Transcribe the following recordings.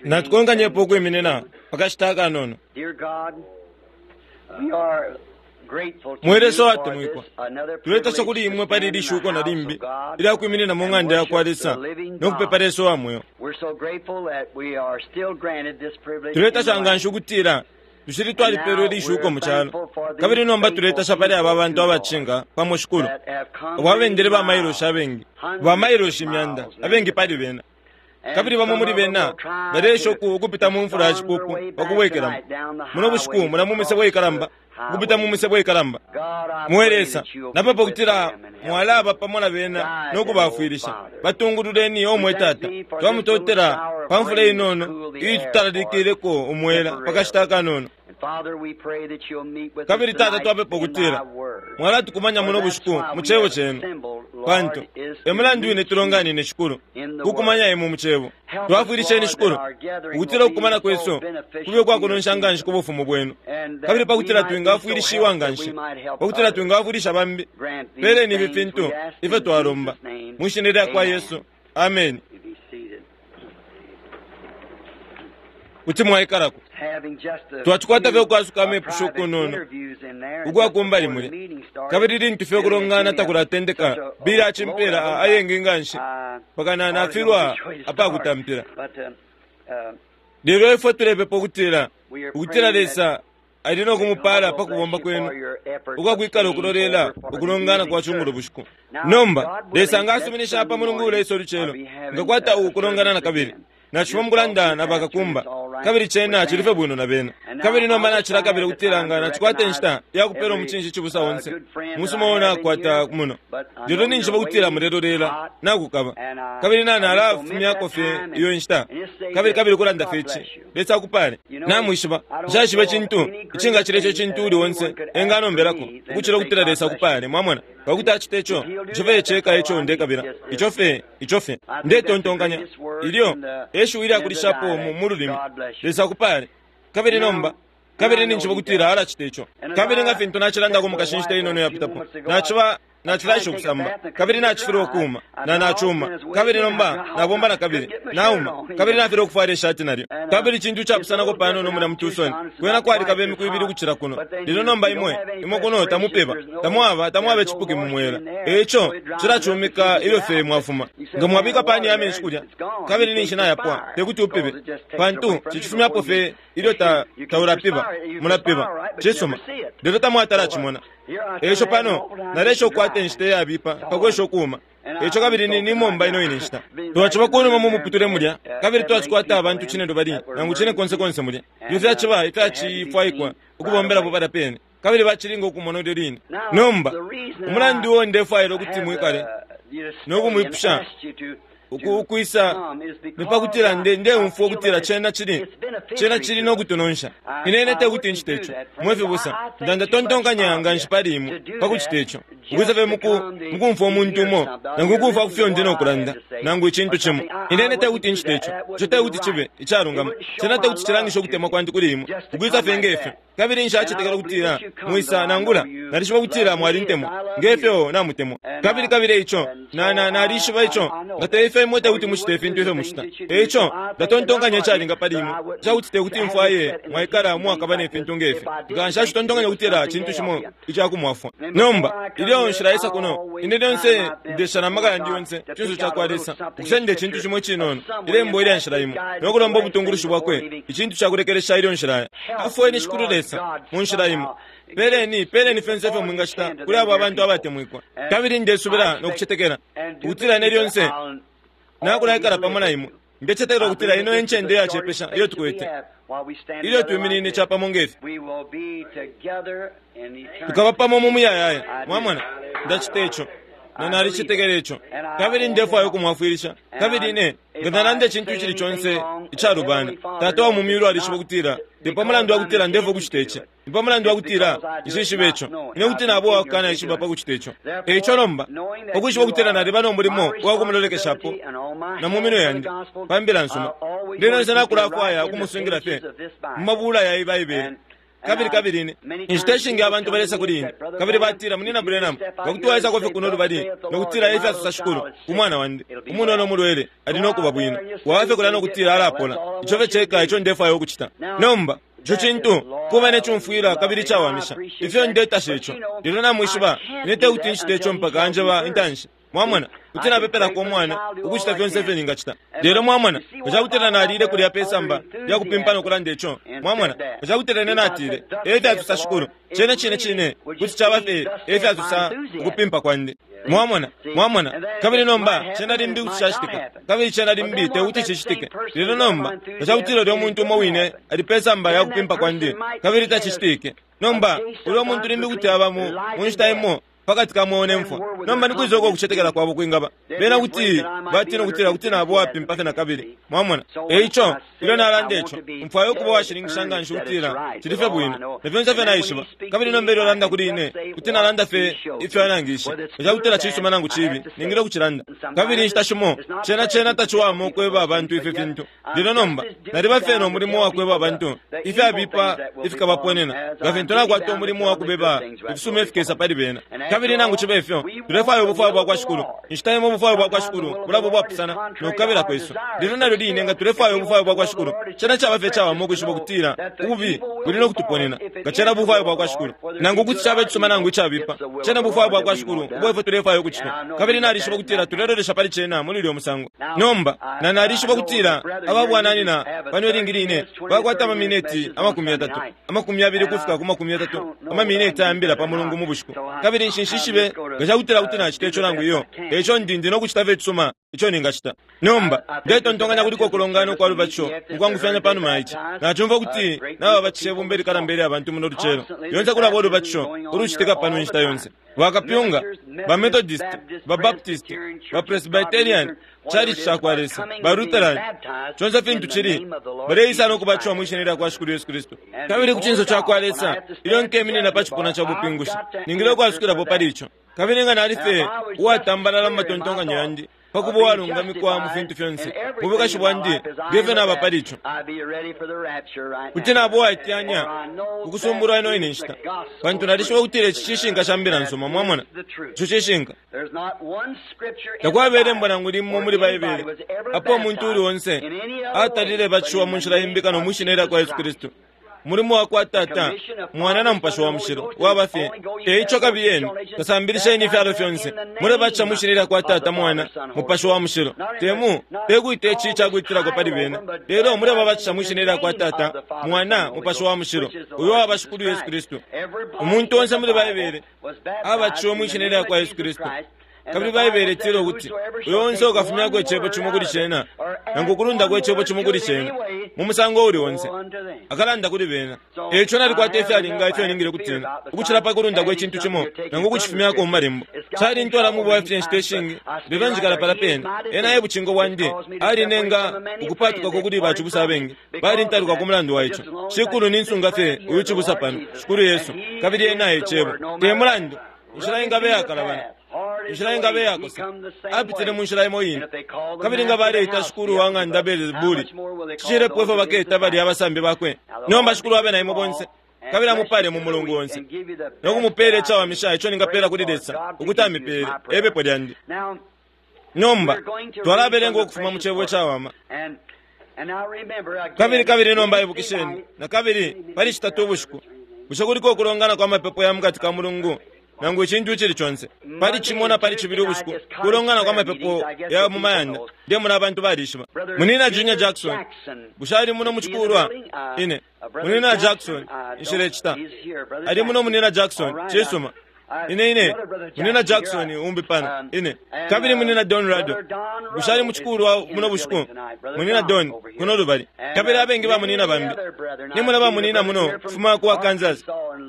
Natukonkanyepo ukwiminina pa kashita akanono. Mwe Lesa uwatemwikwa, tuletasha kuli imwe pali ili shuko na limbi ilya kwiminina mu ng'anda ya kwa Lesa no kupepa Lesa uwa mweo. Tuletasha nga nshi ukutila tushili twalipeelwa ili shuko mu calo, kabili nomba tuletasha pali aba bantu abacinga pamo, Shikulu, abo abendele bamailoshi abengi, bamailoshi imyanda, abengi pali bena. Kabili bamo muli bena baleesha ukupita mu mfula ya cipupu pa kubwekelamo muno bushiku mula mu misebo ikalamba, ukupita mu misebo ikalamba. Mwe Lesa, napepa ukutila mwalaba pamo na bena no kubafwilisha. Batungululeni, o mwe Tata. Twamutotela pa mfula inono iitutalalikileko umwela pa kashita akanono. Kabili Tata, twapepa ukutila mwalatukumanya muno bushiku mu Cebo Cenu, pantu e mulandu wine tulonganine, Shikulu, kukumanya Imwe mu Cebo. Twafwilisheni, Shikulu, ukutila ukukumana kwesu kube ukwakunonsha nga nshi ku Bufumu Bwenu, kabili pa kutila twingafwilishiwa nga nshi, pa kutila twingafwilisha bambi. Peleni ifi fintu ifyo twalomba mwi Shina lya kwa Yesu. Ameni. Kuti mwaikalako. Twacikwata fye ukwasuka amepusho ukunono ukwa kumbali mulya, kabili lintu fye ukulongana takulatendeka, Billy acimpela ayengi nga nshi mpaka na nafilwa apakutampila. Lelo ifwe tulepepa ukutila, ukutila Lesa ali no kumupala pa kubomba kwenu ukwa kwikala ukulolela ukulongana kwa cungulo bushiku. Nomba, Lesa nga asuminisha pa Mulungu uleisa ulucelo, ngakwata ukulongana na kabili. Nacifuma mukulanda na bakakumba, kabili cena cili fye bwino na bena. Kabili nomba nacilakabila ukutila nga nacikwata inshita ya kupela umucinshi cibusa onse umusuma uo nakwata muno. Lelo ninjishiba ukutila mulelolela nakukaba, kabili na nalafumyako fye iyo inshita, kabili kabili kulanda fye ici. Lesa akupale. Namwishiba, nshaishiba icintu icingacila ico cintu uuli onse enganombelako ukucila ukutila Lesa akupale. Mwamona? Pa kuti acite ico, ico fye ceka eco ndekabila. Ico fye, ico fye. Ndetontonkanya, ilyo e shiwi ilyakulishapo mu, mu lulimi. Lesa akupale. Kabili nomba, kabili ninjishiba ukutila alacita ico. Kabili nga fintu nacilandako mu kashi inshita inono iyapitapo, naciba, nacilaesha ukusamba, kabili nacifilwa ukuuma, na nacuma. Kabili nomba nabomba na kabili, nauma, kabili nafilwa ukufwala ishati nalyo. Kabili cintu icapusanako panono mulya mu Tucson, kwena kwalikaba imiku ibili ukucila kuno. Lelo nomba imwe, imwe kuno tamupeba, tamwaba, tamwaba icipuki mu mwela. E ico, cilacumika ilyo fye mwafuma. Nga mwabika pani ya menshi kulya, kabili ninshi nayapwa, te kuti upibe, pantu cicifumyapo fye ilyo ta, taulapiba, mulapiba. Cisuma. Lelo tamwatala cimona. Eico pano, naleesha ukukwata inshita iyabipa pa kwesha ukuuma. Eico kabili ni, nimomba ino ine nshita. Twaciba kunuma mu muputule mulya, kabili twacikwata abantu cinelubali nangu cinekonse konse mulya. Ifyo fyaciba ifyacifwaikwa ukubombelapo palya pene, kabili bacilinga ukumona ilyo line. Nomba, umulandu uo ndefwaila ukuti mwikale no kumwipusha uku, ukwisa ni pa kutila nde, ndeumfwa ukutila cena cili, cena cili no kutunonsha. Ine, ine tekuti ncite ico, mwe fibusa. Nda, ndatontonkanya nganshi pali imwe pa kucita ico, ukwisa fye muku, mukumfwa umuntu umo, nangu ukumfwa ku fyo ndi no kulanda, nangu icintu cimo. Ine, ine tekuti ncite ico. Ico tekuti cibe icalungama. Cena tekuti cilangishe ukutemwa kwandi kuli imwe, ukwisa fye nge fyo. Kabili nshacetekela ukutila mwisa, nangula nalishiba ukutila mwalintemwa nge fyo namutemwa. Kabili, kabili eico, na, na, nalishiba ico, nga te ifyo imwe tekuti mucite ifintu ifyo mucita. Eico, ndatontonkanya icalinga pali imwe, icakuti tekuti mfwaye mwaikala umwakaba ne fintu nge fi, nga nshacitontonkanya ukutila cintu cimo icakumwafwa. Nomba, ilyo nshilaisa kuno, ine lyonse ndesha na maka yandi yonse ku cinso cakwa Lesa, ukusenda icintu cimo icinono, ilembo ilya nshila imo, no kulomba ubutungulushi Bwakwe, icintu cakulekelesha ilyo nshilaya. Afweni, Shikulu Lesa, mu nshila imo. Peleni, peleni fyonse ifyo mwingacita kuli abo abantu abatemwikwa. Kabili ndesubila no kucetekela ukutila ine lyonse nakulaikala pamo na imwe. Ndecetekela ukutila ino e ncende iyacepesha iyo tukwete ilyo twiminine capamo nge fi. Tukaba pamo mu muyayaya. Mwamona? Ndacita ico. Na nalicetekela ico. Kabili ndefwaya ukumwafwilisha. Kabili ine, nga nalanda icintu icili conse icalubana, Tata wa mu Myulu alishiba ukutila te pa mulandu wa kutila ndefwa ukucita ici, ni pa mulandu wa kutila nshishibe ico. Ine kuti naba uwakukana ishiba pa kucita ico. E ico nomba, pa kwishiba ukutila naliba no mulimo uwa kumulolekeshapo na mu minwe yandi pa Mbila nsuma, ndi lyonse nakulafwaya ukumusungila fye mu mabula ya iyi Baibele. Kabili, kabili ine, inshita ishingi abantu balesa kuli ine, kabili batila, Munina Branham, nga kuti waisako fye kuno lubali no kutila, Efya sosa Shikulu, ku mwana wandi umunono umulwele, ali no kuba bwino. Waba fye kulya no kutila alapola. Ico fye ceka ico ndefwaya ukucita. Nomba, ico cintu, kuba ne cumfwila kabili icawamisha. Ifyo ndetasha ico. Lelo namwishiba, ine tekuti ncite ico mpaka anjeba intanshi. Mwamona, kuti napepelako umwana, ukucita fyonse ifyo ningacita. Lelo mwamona, nga cakutila nalile kulya pe samba lya kupimpa no kulanda ico, mwamona, nga cakutila ine natile, E fyasosa Shikulu, cene cine cine kuti caba fye e fyasosa ukupimpa kwandi. Mwamona, mwamona, kabili nomba cena limbi kuti cacitika, kabili cena limbi tekuti cicitike. Lelo nomba, nga cakutila ulyo muntu umo wine ali pe samba ya kupimpa kwandi, kabili tacicitike, nomba ulyo muntu limbi kuti aba mu, mu nshita imo pakati ka mweo ne mfwa. Nomba ni kwisa uko ukucetekela kwabo kwingaba? Bena kuti batina ukutila kuti nabo uwapimpa fye na kabili. Mwamona? E ico, ilyo nalanda ico, mfwaya ukuba uwashininkisha nganshi ukutila cili fye bwino, na fyonse ifyo naishiba. Kabili nomba ilyo alanda kuli ine, kuti nalanda fye ifyo anangishe. Nga cakutila cisuma nangu cibi, ningile ukucilanda. Kabili inshita shimo, cena, cena taciwama ukweba abantu ifi fintu. Lelo nomba, naliba fye no mulimo wa kweba abantu ifyabipa ifikabaponena, nga fintu nakwata umulimo wa kubeba ifisuma ifikesa pali bena. Kabili nangu cibe ifyo, tulefwaya ubufwayo bwa kwa Shikulu. Inshita imo ubufwayo bwa kwa Shikulu bulaba ubwapusana no kukabila kwesu. Lelo nalyo line nga tulefwaya ubufwayo bwa kwa Shikulu, cena caba fye icawama ukwishiba ukutila ububi buli no kutuponena, nga cena bufwayo bwa kwa Shikulu. Nangu ukuti caba icisuma nangu icabipa, cena bufwayo bwa kwa Shikulu ubo ifwe tulefwaya ukucita. Kabili nalishiba ukutila tulelolesha pali cena muli ulyo musango. Nomba, na nalishiba ukutila aba bwananyina pano ilingi line bakwata amamineti 30, 20 ukufika ku 30, amamineti aya mbila pa Mulungu mu bushiku. Kabili nshishibe nga cakutila kuti nacita ico nangu iyo. Eico ndi, ndi no kucita fye icisuma ico ningacita. Nomba, ndetontonkanya kuliko ukulongana ukwa lubatisho mukwangufyanya panuma ya ici. Nacumfwa ukuti nababatisha ibumba ilikalamba ilya bantu muno lucelo. Lyonse kulaba ulubatisho ulucitika pano inshita yonse. Bakapyunga, ba Methodist, ba Baptist, ba Presbyterian, Chalichi cakwa Lesa, ba Lutheran, conse fintu cili, baleisa no kubatishiwa mwi Shina lyakwa Shikulu Yesu Kristu. Kabili ku cinso cakwa Lesa, ilyo nkeminina pa cipuna ca bupingushi, ningile ukwasukilapo pali ico. Kabili nga nali fye uwatambalala mu matontonkanyo yandi, pa kuba uwalungamikwa mu fintu fyonse mu bwikashi bwandi, nge fyo naba pali ico, kuti naba uwaiteyanya ukusumbulwa ino ine nshita, pantu nalishiba ukutila ici cishinka ca mbila nsuma. Mwamona, ico cishinka. Takwaba ilembo nangu limo muli Baibele apo umuntu uuli onse atalile batishiwa mu nshila imbi kano mwi Shina lyakwa Yesu Kristu. Umulimo wa kwa Tata, Mwana na Mupashi wa Mushilo waba fye. E ico kabiyeni, kasambilisheni ifyalo fyonse, mulebatisha mwi Shina lya kwa Tata, Mwana, Mupashi wa Mushilo. Te mu, te kwita ici ica kwitilako pali bena, lelo mulebabatisha mwi Shina lya kwa Tata, Mwana, Mupashi wa Mushilo, uyo waba Shikulu Yesu Kristu. Umuntu onse muli Baibele abatishiwe mwi Shina lya kwa Yesu Kristu. Kabili Baibele itila ukuti, Uyo onse ukafumyako icebo cimo kuli cena, nangu ukulundako icebo cimo kuli cena, mu musango uuli onse, akalanda kuli bena. E ico nalikwata ifyalinga ifyo ningile ukutina, ukucila pa kulundako icintu cimo, nangu ukucifumyako mu Malembo. Calintwala mu bwafya inshita ishingi, lelo njikala palya pene. Ena e bucingo bwandi. Alinenga ukupaatukako kuli bacibusa abengi. Balintaluka ku mulandu wa ico. Shikulu ninsunga fye uyu cibusa pano, Shikulu Yesu, kabili Ena e Cebo. Te mulandu inshila ingaba iyakalabana, inshila ingaba iyakosa, apitile mu nshila imo ine. Kabili nga baleita Shikulu wa ng'anda Beelzebuli, cicilepo ifyo baketa balya abasambi bakwe. Nomba Shikulu abe na imwe bonse, kabili amupale mu mulungu onse, no kumupeela icawamisha ico ningapela kuli Lesa ukuti amipeele, e pepo lyandi. Nomba, twalabelenga ukufuma mu Cebo icawama. Kabili, kabili nomba ibukisheni, na kabili, pali Citatu ubushiku, bushe kuliko ukulongana kwa mapepo ya mukati ka mulungu, nangu icintu icili conse? Pali Cimo na pali Cibili ubushiku, kulongana kwa mapepo ya mu mayanda. Ndemona abantu balishiba. Munina Junior Jackson, bushe ali muno mu cikulwa? Ine, Munina Jackson, nshilecita. Ali muno Munina Jackson, cisuma. Ine, ine, Munina Jackson umbi pano, ine. Kabili Munina Don Rado, bushe ali mu cikulwa muno bushiku? Munina Don, kuno lubali. Kabili abengi ba munina bambi. Nimona ba munina muno, kufuma ku Arkansas,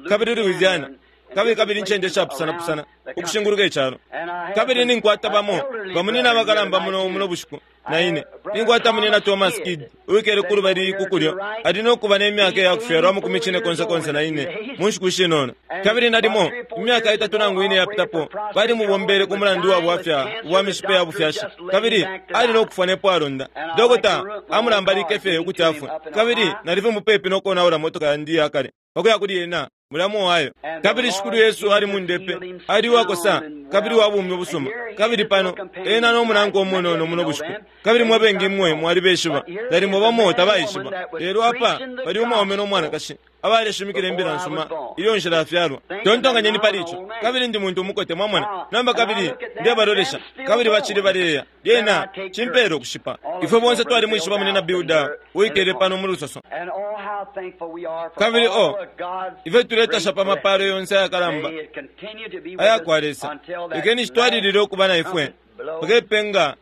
kabili Louisiana. kabili kabili incende shapusanapusana ukushinguluka icalo. Kabili ninkwata bamo bamunina abakalamba muno muno bushiku na ine ninkwata munina Thomas Kidd uwikele kulubali ku kulyo, ali no kuba ne myaka ya kufyalwa amakumi cine konse konse na ine mu nshiku shinono. Kabili nalimo imyaka itatu nangu ine yapitapo balimubombele ku mulandu wa bwafya ubwa mishipe ya bufyashi, kabili ali no kufwa nepo alonda. Dokota amulambalike fye ukuti afwe, kabili nalife mupepi no konaula motoka yandi ya kale pakuya kuli ena mulya mu Ohio. Kabili Shikulu Yesu ali mundepe, ali uwakosa kabili wa bumi ubusuma. Kabili pano ena no munankwe umunono muno bushiku, kabili mwe bengi imwe mwalibeshiba, nalimo bamo tabaishiba. Lelo apa pali umwaume no mwanakashi abaleshimikila imbila nsuma ilyo nshilafyalwa. Tontonkanyeni pali ico. Kabili ndi muntu umukote, mwamona nomba, kabili ndebalolesha, kabili bacili baleya. Lyena cimpele ukushipa. Ifwe bonse twalimwishiba munina Bilda uwikele pano mu lusoso. Kabili o ifwe tuletasha pa mapalo yonse ayakalamba aya kwa Lesa. Lekeni citwalilile ukuba na ifwe mpaka ipenga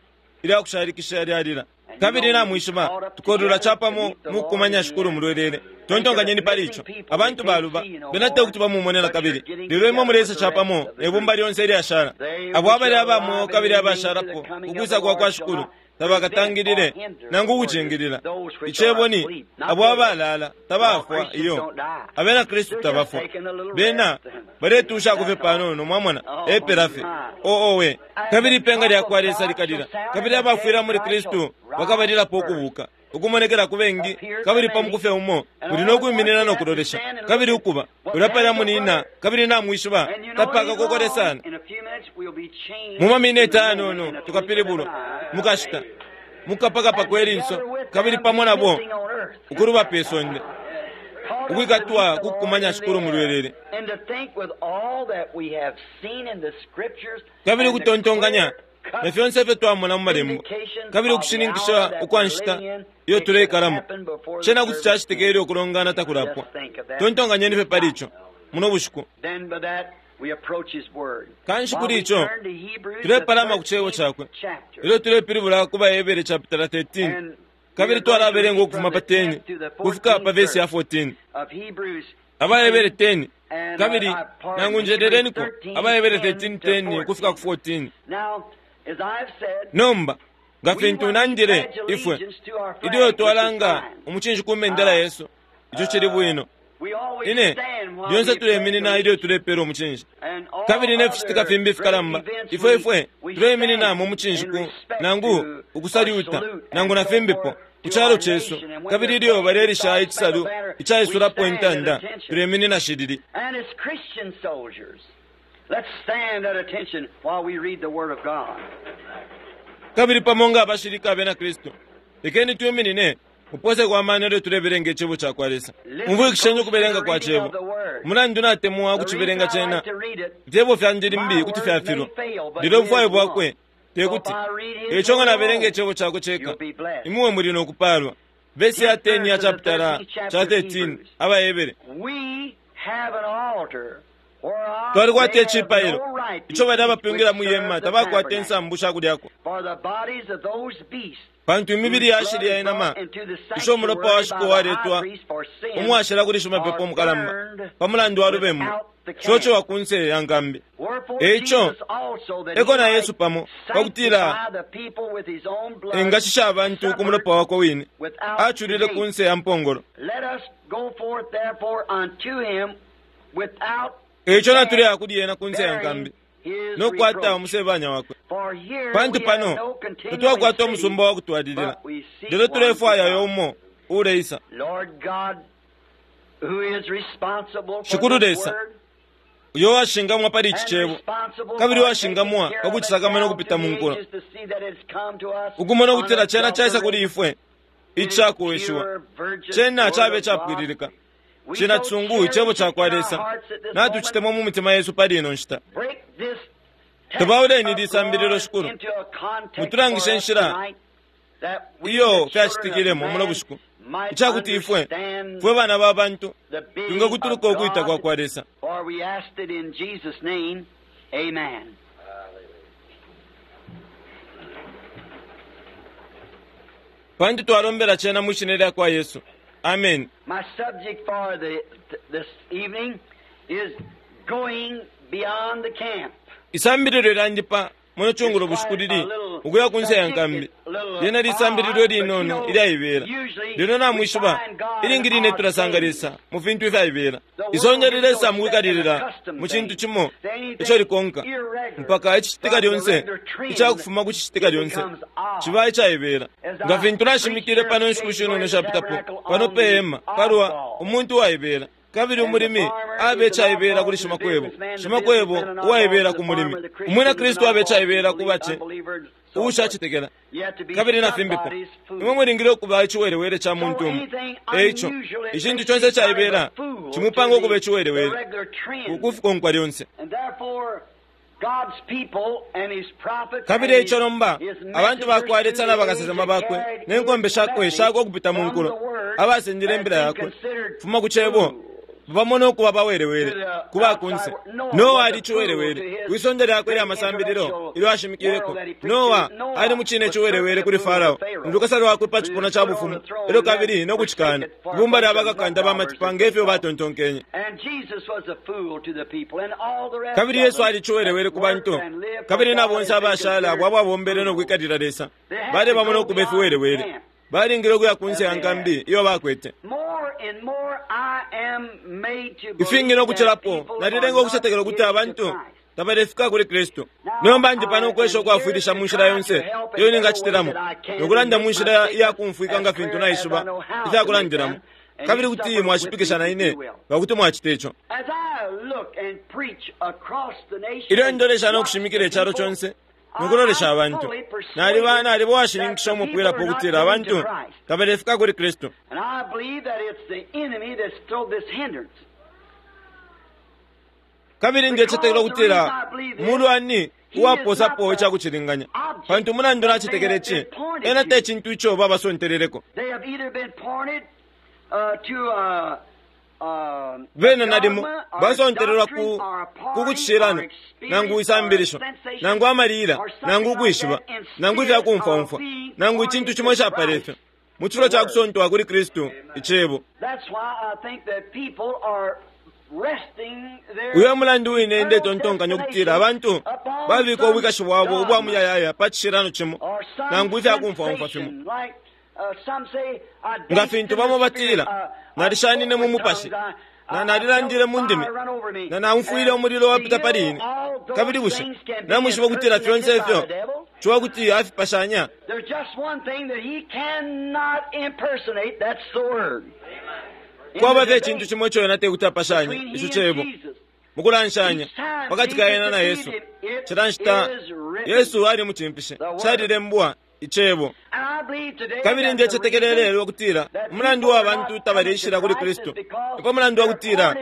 ilya kushalikisha lyalila. Kabili namwishiba tukolula capamo mukukumanya Shikulu mulwelele. Tontonkanyeni pali ico. Abantu baluba bena te kuti bamumonela kabili, lelo imwe mulesa capamo ne bumba lyonse ilyashala. Abo abali aba mweo kabili abashalapo ukwisa kwa kwa Shikulu tabakatangilile nangu ukucingilila. Icebo ni abo abalala tabafwa iyo. Abena Kristu tabafwa, bena baletushako fye panono, mwamona, epela fye. Oowe! Kabili ipenga lya kwa Lesa likalila, kabili abafwila muli Kristu bakabalilapo ukubuka, ukumonekela ku bengi. Kabili pa muku fye umo muli no kwiminina no kulolesha, kabili ukuba ulya palya munina, kabili namwishiba tapakakokole sana. Mu mamineti ayanono tukapilibulwa mukashita mukapakapa kwe linso, kabili pamo nabo ukuluba pe sonde, ukwikatwa kukumanya Shikulu mulwelele. Kabili ukutontonkanya na fyonse ifyo twamona mu malembo, kabili ukushininkisha ukwa nshita iyo tuleikalamo, cena kuti cacitika ilyo ukulongana takulapwa. Tontonkanyeni fye pali ico muno bushiku. Kanshi kuli ico tulepalama ku cebo cakwe ilyo tulepilibula ku Bahebere chapitala 13, kabili twalabelenga ukufuma pa 10 kufika pa vesi ya 14. Abahebere 10, kabili nangu njeleleniko Abahebere 13 10 kufika ku 14. Nomba nga fintu nandile ifwe ilyo twalanga umucinshi ku mendela yesu, ico cili bwino. Ine lyonse tuleminina ilyo tulepela umucinshi, kabili ne ficitika fimbi fikalamba, ifwe ifwe tuleiminina mu mucinshi ku nangu ukusalyuta nangu na fimbipo ku calo cesu. Kabili ilyo balelisha icisalu icaisulapo intanda, tuleminina shilili. Kabili pamo nga abashilika abena Kristu, lekeni twiminine mupose kwa mano ilyo tulebelenga icebo ca kwa Lesa. Mubwikishenye ukubelenga kwa cebo. Mulandu natemwa ukucibelenga cena. Ifyebo fyandi limbi kuti fyafilwa, lelo ubufwayo bwakwe te kuti. Eico nga nabelenga icebo cakwe ceka, imwe muli no kupalwa. Vesi ya 10 ya chapitala cha 13 Abahebere. Twalikwata icipailo ico bali abapyungila mwi hema tabakwata insambu sha kulyako, pantu imibili yashilya inama isho umulopa wa shiko waletwa umwashila kuli shimapepo umukalamba pa mulandu wa lubembu shocewa ku nse ya nkambi. Eico eko na Yesu pamo pakutila engashisha abantu ku mulopa wakwe wine, aculile ku nse ya mpongolo. Eico natuleya kuli ena ku nse ya nkambi no kukwata umusebanya wakwe, pantu pano tatwakwata umusumba wa kutwalilila, lelo tulefwaya yo umo uleisa. Shikulu Lesa, uyo washingamwa pali ici cebo, kabili washingamwa pakucisakamana ukupita mu nkulo, ukumona ukutila cena caisa kuli ifwe icakuweshiwa, cena cabe capwililika. Cina cisungu icebo ca kwa Lesa natucitemwa mu mitima yesu pali ino nshita. Tubauleni lisambililo Shikulu, mutulangishe inshila iyo fyacitikilemo muno bushiku, icakuti ifwe fwe bana ba bantu twingakutuluka ukwita kwa kwa Lesa. Pantu twalombela cena mwi shina lya kwa Yesu. Amen. My subject for this evening is Going Beyond the Camp. Isambililo lyandi pa muno cungulo bushiku lili ukuya ku nse ya nkambi. Lyena lisambililo linono ilyaibela. Lelo namwishiba, ilingi line tulasanga Lesa mu fintu ifyaibela. Isonde lilesa mu kwikalilila mu cintu cimo ico likonka mpaka icicitika lyonse icakufuma ku cicitika lyonse ciba icaibela. Nga fintu nashimikile pano inshiku shinono shapitapo pano pe hema palwa umuntu uwaibela. Kabili umulimi abe icaibela kuli shimakwebo, shimakwebo uwaibela ku mulimi, umwina Kristu abe icaibela ku bace uushacetekela, kabili na fimbipo. Imwe mulingile ukuba iciwelewele ca muntu umo. Eico icintu conse icaibela cimupanga ukuba iciwelewele kufikonkwa lyonse. Kabili eico nomba abantu bakwa Lesa na bakasesema bakwe ne nkombe shakwe shakwe ukupita mu nkulo abasendele imbila yakwe fuma ku cebo bamona ukuba bawelewele ku bakunse. Noa ali ciwelewele kwisonde lyakwe lya masambililo ilyo ashimikileko. Noa ali mucine ciwelewele kuli Farao mulukasa lwakwe pa cipuna ca bufumu, elyo kabili no kucikana ibumba lya bakakanda ba matipa ngefyo batontonkenye. Kabili Yesu ali ciwelewele ku bantu, kabili na bonse abashala abo ababombele no kwikalila Lesa bale bamona ukuba ifiwelewele. Balingile ukuya kunse ya nkambi iyo bakwete. Ifingi no kucilapo nalilenga ukucetekela ukuti abantu tabalefika kuli Kristu. Nomba ndi pano ukwesha ukwafwilisha mu nshila yonse iyo ningacitilamo, nokulanda mu nshila iyakumfwika nga fintu naishiba ifyakulandilamo, kabili kuti mwashipikisha na ine nga kuti mwacita ico. Ilyo ndolesha no kushimikila icalo conse nokulolesha abantu, naliba naliba uwashininkisha umupwilapo ukutila abantu tabalefika kuli Kristu. Kabili ndecetekela ukutila mulwani uwaposapo icakucilinganya, pantu umulandu nacetekela ici, ena te cintu ico babasonteleleko. Bena nalimo basontelelwa ku kucishilano, nangu isambilisho, nangu amalila, nangu ukwishiba, nangu ifyakumfwaumfwa, nangu icintu cimo icapala ifyo, mu cifulo ca kusontwa kuli Kristu icebo. Uyo mulandu wine ndetontonkanya ukutila abantu babika ubwikashi bwabo ubwa muyayaya pa cishilano cimo, nangu ifyakumfwaumfwa fimo. Nga fintu bamo batila, nalishanine mu mupashi, na nalilandile mu ndimi, na naumfwile umulilo wapita pali ine. Kabili bushe namwishiba ukutila fyonse ifyo ciwa kuti afipashanya? Kwaba fye icintu cimo ico ena tekuti apashanye, ico cebo. Mukulanshanya pakati ka ena na Yesu, cila nshita Yesu ali mucimfishe, calilembwa icebo. Kabili ndecetekela lelo ukutila umulandu wa bantu tabaleishila kuli Kristu nipo mulandu wa kutila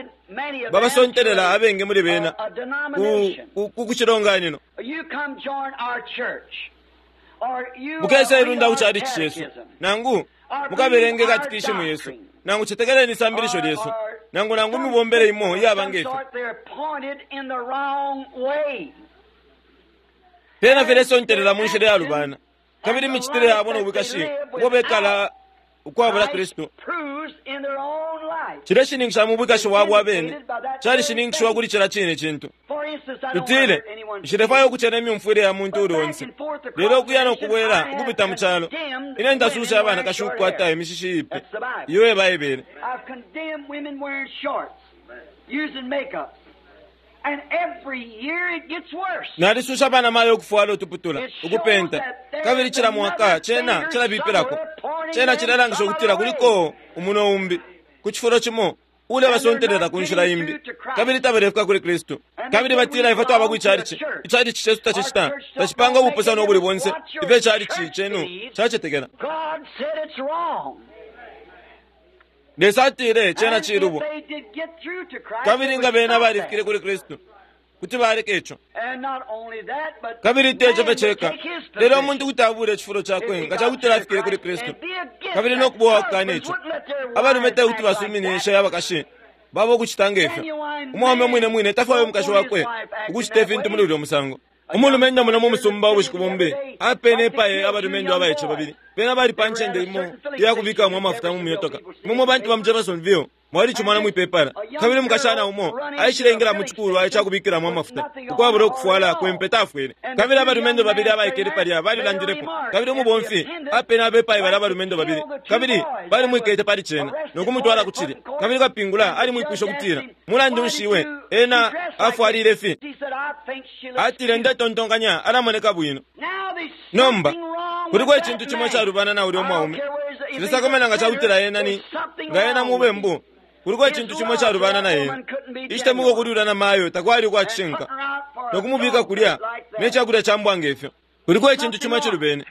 babasontelela abengi muli bena ku kucilonganino. Mukesa ilunda ku chalichi cesu, nangu mukabelenge katikishimu yesu, nangu cetekeleni isambilisho lyesu, nangu nangu mibombele imo iyaba ngefyo. Pena filesontelela mu nshila yalubana, kabili imicitile yabo no bwikashi ubwo bekala ukwabula Kristu cileshininkisha mu bwikashi bwabo abene, calishininkishiwa kuli cila cine cintu. Tutile, nshilefwaya ukucena imyumfwile ya muntu uli onse, lelo ukuya no kubwela ukupita mu calo, ine ntasusha abanakashi ukukwata imishishi iipi iyo ebaebele. Nalisusha abana mayo ukufwala utuputula, ukupenta, kabili cila mwaka cena cilabipilako. Cena cilalangisha ukutila kuliko umuno umbi ku cifulo cimo ule basontelela ku nshila imbi, kabili tabalefika kuli Kristu. Kabili batila ifwe twaba ku icalici, icalici cesu tacicita, tacipanga ubupusano ubuli bonse ifyo icalici cenu cacetekela. Lesa atile cena cilubo, kabili nga bena balifikile kuli Kristu kuti baleka ico. Kabili teco fye ceka, lelo umuntu kuti abule icifulo cakwe nga cakutila afikile kuli Kristu, kabili no kuba uwakukana ico. Abalume te kuti basuminishe abakashi babo ukucita ngefyo. Umwaume mwine mwine tafwaya umukashi wakwe ukucita ifintu muli ulyo musango. Umulumendo muno mu musumba ubushiku bumbi apene epaye abalumendo abaice babili. Bena bali pa ncende imo iyakubikamo amafuta mu myotoka. Imwe mwe bantu ba mu Jeffersonville Mwalicimona mwipepala. Kabili umukashana umo aishileingila mu cikulwa icakubikilamo amafuta ukwabula ukufwala kwempe tafwele. Kabili abalumendo babili abaikele palya balilandilepo. Kabili umubomfi apene abepayi balya abalumendo babili, kabili balimwikete pali cena no kumutwala ku cilye. Kabili kapingula alimwipwishe ukutila, mulandu nshi iwe ena afwalile fi? Atile, ndetontonkanya alamoneka bwino. Nomba kuliko icintu cimo icalubana na ulya umwaume. Nshilesakamana nga cakutila ena ni nga ena mubembu. Kuliko icintu cimo icalubana na ena. Icitemwiko kuli ulya namayo takwali ukwa cishinka, no kumubika kulya ne cakulya ca mbwa ngefyo. Kuliko icintu cimo icilubene.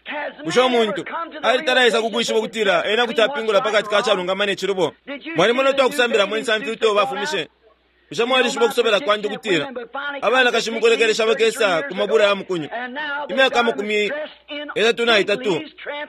Bushe umuntu alitalaisa kukwishiba ukutila ena kuti apingula pakati ka calungama ne cilubo? Mwalimona utwakusambilamo insamfi uto bafumishe? Bushe mwalishiba ukusobela kwandi ukutila abanakashi mukulekelesha bakesa ku mabula ya mukunyu imyaka 33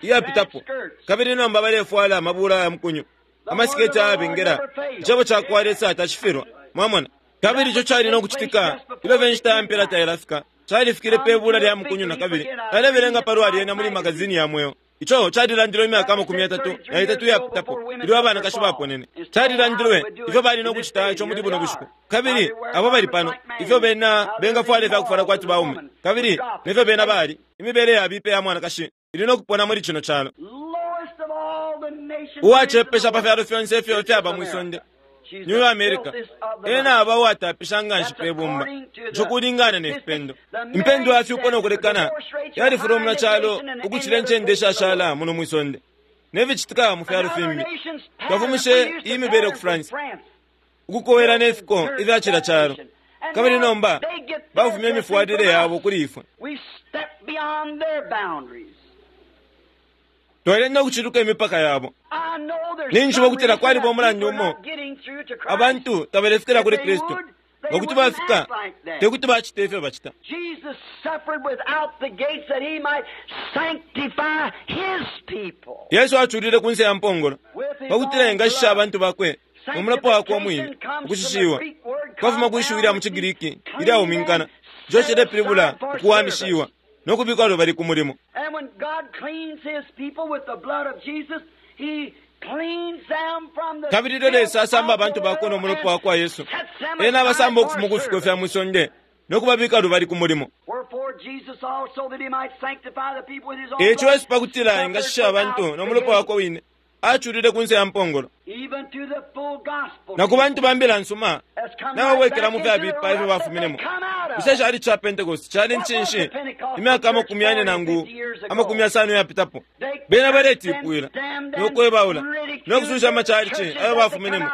iyapitapo, kabili nomba balefwala amabula ya mukunyu, amasiketi ayabengela? Icebo ca kwa Lesa tacifilwa. Mwamona? Kabili ico cali no kucitika ilyo fye inshita ya mpela tailafika. Califikile pe bula lya mukunyu na kabili. Nalebelenga palwa lyena muli magazini ya Mweo. Ico calilandilwe imyaka 33 iyapitapo ilyo abanakashi baponene. Calilandilwe ifyo bali no kucita ico muli buno bushiku. Kabili abo bali pano, ifyo bena bengafwala ifyakufwala kwati baume, kabili nefyo bena bali, imibele yabipa iya mwanakashi ili no kupona muli cino calo. Uwacepesha pa fyalo fyonse ifyo fyaba mwi sonde New America, ena aba uwatapisha nga nshi pe bumba, ico kulingana ne fipendo. Impendwa ya fyupo no kulekana yalifula muna calo ukucila incende ishashala muno mwi sonde, ne ficitika mu fyalo fimbi. Twafumishe iyi mibele ku France, ukukowela ne fiko ifya cila calo, kabili nomba bafumya imifwalile yabo kuli ifwe. Twalenda ukuciluka imipaka yabo. Ninjishiba ukutila kwaliba umulandu umo abantu tabalefikila kuli Kristu. Nga kuti bafika, te kuti bacita ifyo bacita. Yesu aculile kunse ya mpongolo pakutila engashisha abantu bakwe no mulopa wakwe umwine. Ukushishiwa kwafuma kwi shiwi lya mu ciGriki ilyauminkana, ico cilepilibula ukuwamishiwa no kubikwa lubali ku mulimo. Kabili ilyo Lesa asamba abantu bakwe no mulopa wa kwa Yesu, ena abasamba ukufuma ku fiko fya mwi sonde no kubabika lubali ku mulimo. Eico Yesu pakutila engashisha abantu no mulopa wakwe wine, aculile kunse ya mpongolo. Na ku bantu ba mbila nsuma nababwekela mu fyabipa ifyo bafuminemo. Bushe cali ca Pentecost cali ncinshi imyaka 40 nangu 50 iyapitapo? Bena baletipwila no kwebaula no kususha amacalici ayo bafuminemo,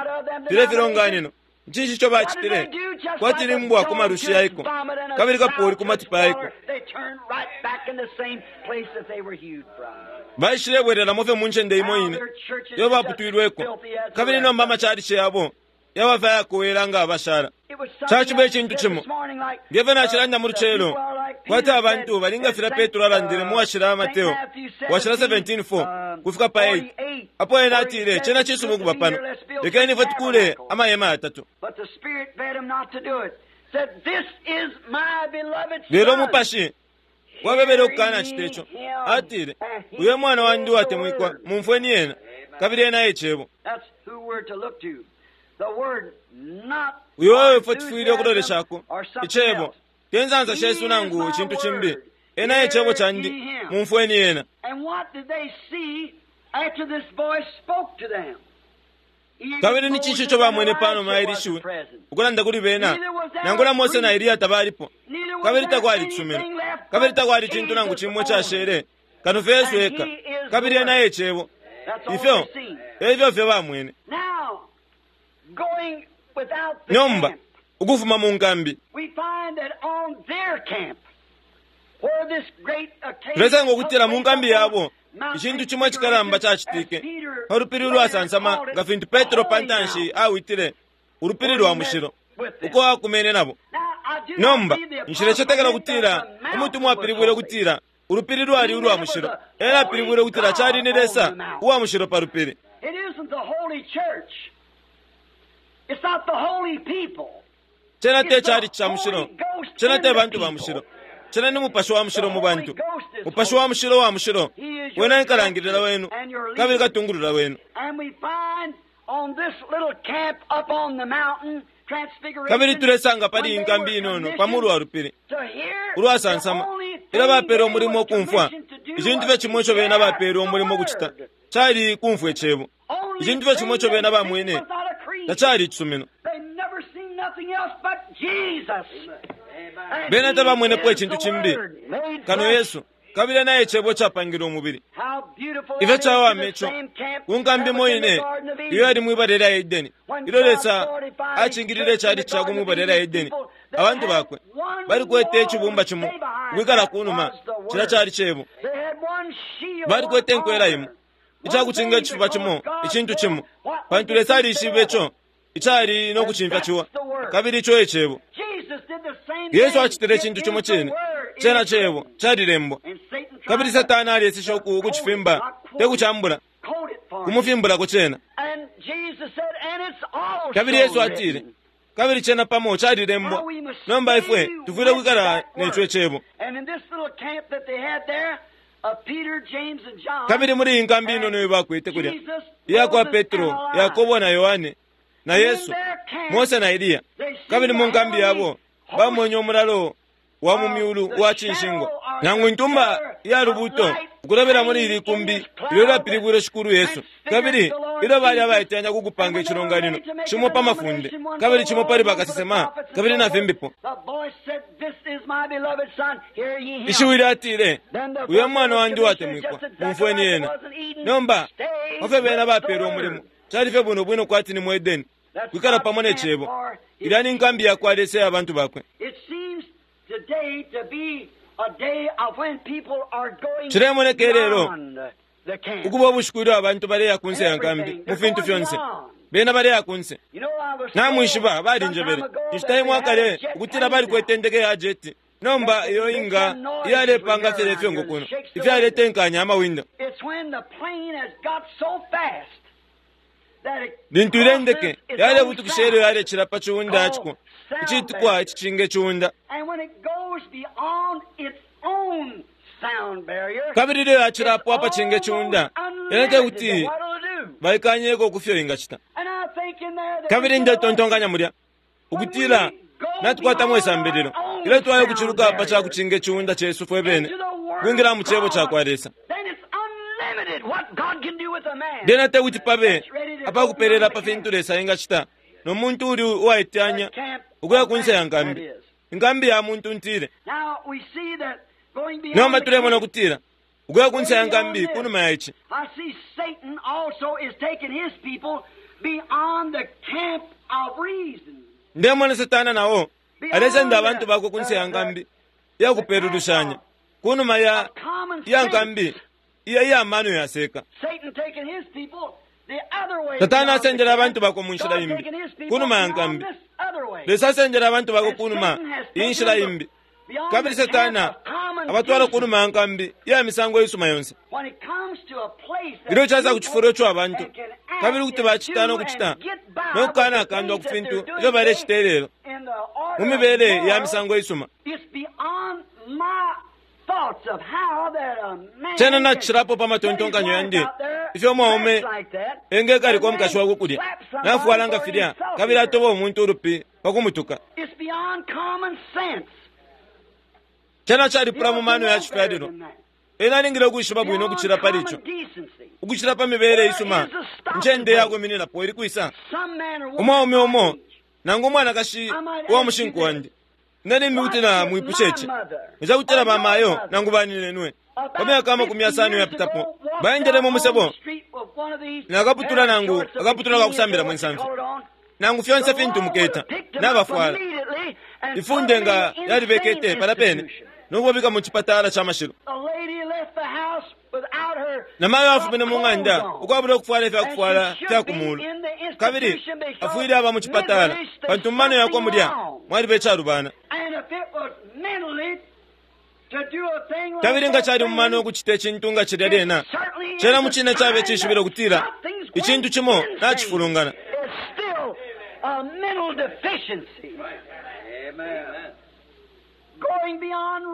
filya filonganino. Ncinshi ico bacitile? Kwati ni mbwa ku malushi yaiko, kabili kapoli ku matipa yaiko. Baishilebwelelamo fye mu ncende imo ine iyo baputwilweko, kabili nomba amacalici yabo yaba fye ayakowela nga abashala. Caciba icintu cimo nge fyo nacilanda mu lucelo, kwati abantu bali nga filya Petro alandile mu washila Mateo washila 17:4 kufika pa 8, apo ena atile, cena cisuma ukuba pano, lekeni ifwe tukule amahema yatatu. Lelo umupashi wabebele ukukanacita ico. Atile, uyo mwana wandi uwatemwikwa, mumfweni ena, kabili ena e Cebo. Uyo efwe tufwile ukuloleshako, Icebo, te nsansa shesu nangu icintu cimbi. Ena e Cebo candi, mumfweni ena. Kabili ni cinshi ico bamwene pa numa ya ili shiwi ukulanda kuli bena? Nangula Mose na Eliya tabalipo, kabili takwali cisumino, kabili takwali cintu nangu cimo icashele kano fye Yesu eka, kabili ena e Cebo. Ifyo efyo fye bamwene. Nomba ukufuma mu nkambi, tulesanga ukutila mu nkambi yabo icintu cimo icikalamba cacitike pa lupili ulwasansama, nga fintu Petro pa ntanshi awitile ulupili lwa mushilo, uko akumene nabo. Nomba nshilecetekela ukutila umutumwa apilibwile ukutila ulupili lwali ulwa mushilo. Ena apilibwile ukutila cali ni Lesa uwa mushilo pa lupili. Cena te cali ca mushilo, cena te bantu ba mushilo, cena ni Mupashi wa Mushilo mu bantu. Mupashi wa Mushilo wa mushilo, wena nkalangilila wenu kabili katungulula wenu. Kabili tulesanga pali iyi nkambi inono pa mulu wa lupili ulwasansama, ilyo bapeele umulimo ukumfwa icintu fye cimo ico bena bapeele umulimo ukucita cali kumfwa icebo. Icintu fye cimo ico bena bamwene tacali icisumino. Bena tabamwenepo icintu cimbi kano Yesu, kabili ena e Cebo icapangilwe umubili. Ifyo cawama ico ku nkambi imo ine iyo yali mwi bala lya Edeni, ilyo Lesa acingilile icali cakwe mwi bala lya Edeni, abantu bakwe balikwete icibumba cimo ukwikala ku numa, cilya cali Cebo. Balikwete inkwela imo, icakucinga icifuba cimo, icintu cimo, pantu Lesa alishibe ico icali no kucimfya ciwa, kabili ico e Cebo. Yesu acitile icintu cimo cine, cena Cebo calilembwa. Kabili Satana alyeseshe uku ukucifimba, te kucambula, kumufimbulako cena. Kabili Yesu atile, kabili cena pamo calilembwa. Nomba ifwe tufwile ukwikala neco Cebo. Kabili muli iyi nkambi inono iyo bakwete kulya, iya kwa Petro, Yakobo na Yohane, na Yesu, Mose na Eliya. Kabili mu nkambi yabo bamwenye umulalo wa mu myulu uwa cinshingwa, nangu intumba iya lubuuto ukulobela muli ili kumbi ilyo lyapilibwile Shikulu Yesu. Kabili ilyo bali abaiteyanya ku kupanga icilonganino, cimo pa mafunde, kabili cimo pali bakasesema, kabili na fimbipo. Ishiwi lyatile, Uyo mwana wandi uwatemwikwa, mumfweni ena. Nomba, pa fyo bena bapeelwe umulimo, cali fye bwino bwino kwati ni mu Edeni, kwikala pamo ne Cebo. Ilya ni nkambi ya kwa Lesa iya bantu bakwe. Cilemoneka ilelo ukuba ubushiku ilyo abantu baleya kunse ya nkambi mu fintu fyonse. Bena baleya kunse. Namwishiba, balinjebele inshita imo akale ukutila balikwete indeke ya jeti. Nomba iyo inga iyalepanga fye ifyongo kuno, ifyaletenkanya amawindo. Lintu ile ndeke yalebutukisha ilyo yalecila pa ciunda ya ciko, iciitikwa icicinga iciunda. Kabili ilyo yacilapo apacinga iciunda, yena te kuti baikanyeko ku fyo ingacita. Kabili ndetontonkanya mulya ukutila natukwatamo isambililo ilyo twaya ukuciluka pa ca kucinga iciunda cesu fwe bene kwingila mu Cebo ca kwa Lesa. Lyena te kuti pabe apakupelela pa fintu Lesa engacita no muntu uli uwaiteyanya ukuya ku nse ya nkambi, inkambi ya muntu ntile. Nomba tulemona ukutila ukuya ku nse ya nkambi ku numa ya ici. Ndemona Satana na o alesenda abantu bakwe ku nse ya nkambi iya kupelulushanya, ku numa ya iya nkambi iya iya mano yaseka. Satana asendela abantu bakwe mu nshila imbi, ku numa ya nkambi. Lesa asendela abantu bakwe ku numa iyi nshila imbi. Kabili Satana abatwala ku numa ya nkambi iya misango isuma yonse. Ilyo caisa ku cifulo ico abantu, kabili kuti bacita no kucita, no kukanakandwa ku fintu ifyo balecita ilelo, mu mibele ya misango isuma. Cena nacilapo pa matontonkanyo yandi ifyo umwaume engekalika umukashi wakwe kulya, nafwala nga filya, kabili atoba umuntu ulupi pa kumutuka. Cena calipula mu mano ya cifyalilwa. Ena alingile ukwishiba bwino ukucila pali ico, ukucila pa mibele isuma. Incende ya kwimininapo ili kwisa? Umwaume umo nangu umwanakashi uwa mushinku wandi, Ine limbi kuti na mwipusha ici, nga ca kutila bamayo nangu baninenwe pa myaka 50 iyapitapo baendele mu musebo na kaputula nangu akaputula ka kusambilamo insamfi, nangu fyonse fintu muketa, nabafwala, ifunde nga lyalibekete palya pene no kubabika mu cipatala ca mashilo. Namayo afumine mu ng'anda ukwabula ukufwala ifya kufwala fya ku muulu, kabili afwile aba mu cipatala pantu mu mano yakwe mulya mwaliba icalubana. Kabili nga cali mu mano ukucita icintu nga cilya lyena, cena mu cine caba icishibilo ukutila icintu cimo nacifulungana.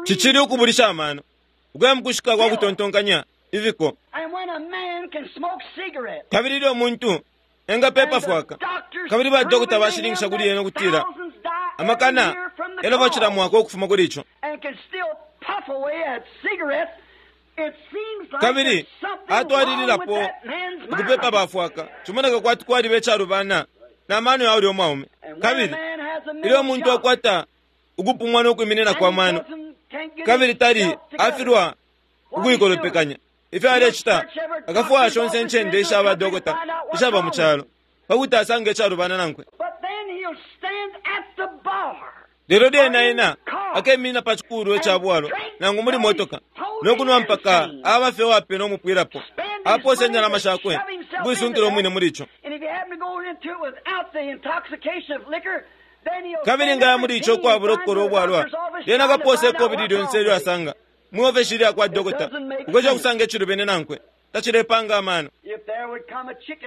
Cicili ukubulisha amano, ukuya mu kushika kwa kutontonkanya ifiko. Kabili ilyo umuntu Engapepa fwaka. Kabili ba dokota bashininkisha kuli yena ukutila amakana yalova cila mwaka ukufuma kuli ico. Kabili atwalililapo ukupepa bafwaka, cimoneka kwati kwaliba icalubana na mano ya ulya umwaume. Kabili ilyo umuntu akwata ukupumwa no kwiminina kwa mano, kabili tali afilwa ukuikolopekanya ifyo alecita, akafwaya shonse incende isha badokota ishaba mu calo pakuti asange icalubana nankwe. Lelo lyena ena akeminina pa cikulu ica bwalwa nangu muli motoka no kunwa mpaka aba fye uwapena umupwilapo, aposa indalama shakwe ukuisunkila umwine muli ico. Kabili nga ya muli ico ukwabula ukukola ubwalwa, lyena akaposa ikobili lyonse ilyo asanga mwi ofeshi lya kwa dokota ukwesha kusanga icilubene nankwe. Tacilepanga amano.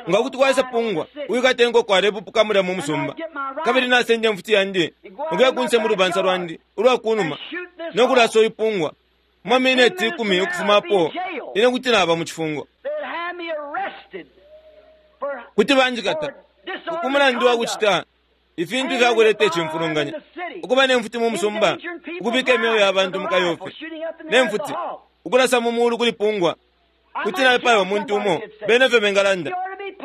Nga kuti kwaisa pungwa uwikata inkoko alepupuka mulya mu musumba, kabili nasenda imfuti yandi ukuya kunse mu lubansa lwandi ulwa kunuma no kulasa ipungwa mu mamineti 10 ukufumapo, ine kuti naba mu cifungo. Kuti banjikata ku mulandu wa kucita ifintu ifyakuleta icimfulunganya, ukuba ne mfuti mu musumba, ukubika imyeo ya bantu mu kayofi ne mfuti, ukulasa mu mulu kuli pungwa. Kuti naipaya umuntu umo, bene fyo bengalanda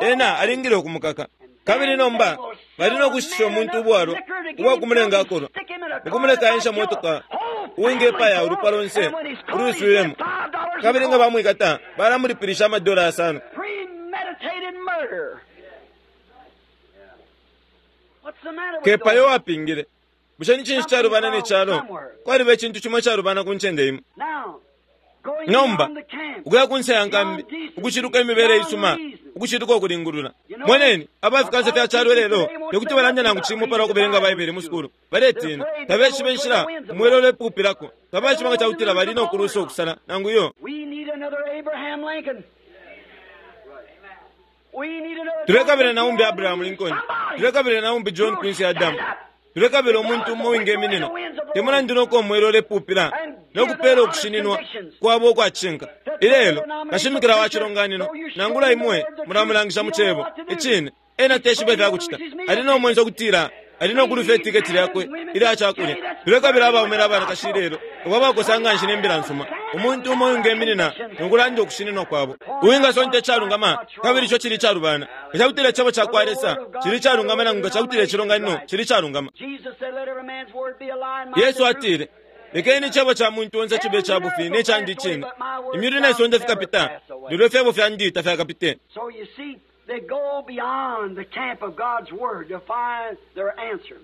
ena alingile ukumukaka. Kabili nomba bali no kushitisha umuntu ubwalwa ubwa kumulenga akolwa, ukumuleka aensha motoka uwingepaya ulupwa lonse ulwiswilemo. Kabili nga bamwikata balamulipilisha amadola 5. Kepayo wapingile. Bushe ni cinshi calubana ne calo? Kwaliba icintu cimo icalubana ku ncende imo. Nomba ukuya kunse ya nkambi, ukuciluka imibele isuma, ukuciluka ukulingulula. Moneni abafikansa fya calo lelo tekuti balande nangu cimo palwa kubelenga Baibele mu sukulu. Baletina tabeshiba inshila umwele ulepupilako, tabaishiba nga cakutila bali no kulusa ukusala nangu iyo. Tulekabila na umbi Abraham Lincoln, tulekabila na umbi John Quincy Adams, tulekabila umuntu umo uwingeminina te mulandu noko umwele ulepupila no kupela ukushininwa kwabo ukwacinka. Ilelo kashimikila wa cilonganino nangula imwe mulamulangisha mu cebo icine, ena teshiba ifyakucita. Ali no mwenso ukutila ali no kulufya itiketi lyakwe ilya cakulya. Tulekabila abaume na banakashi ilelo abo abakosa nga nshi ne mbila nsuma, umuntu umo uwingeminina no kulanda ukushininwa kwabo, uwingasonta icalungama kabili ico cili icalubana. Nga cakutila icebo ca kwa Lesa cili icalungama nangu nga cakutila icilonganino cili icalungama. Yesu atile, lekeni icebo ca muntu onse cibe ica bufi ne candi icine. Imyulu ne sonde fikapita, lelo ifyebo fyandi tafyakapite. They go beyond the camp of God's Word to find their answer.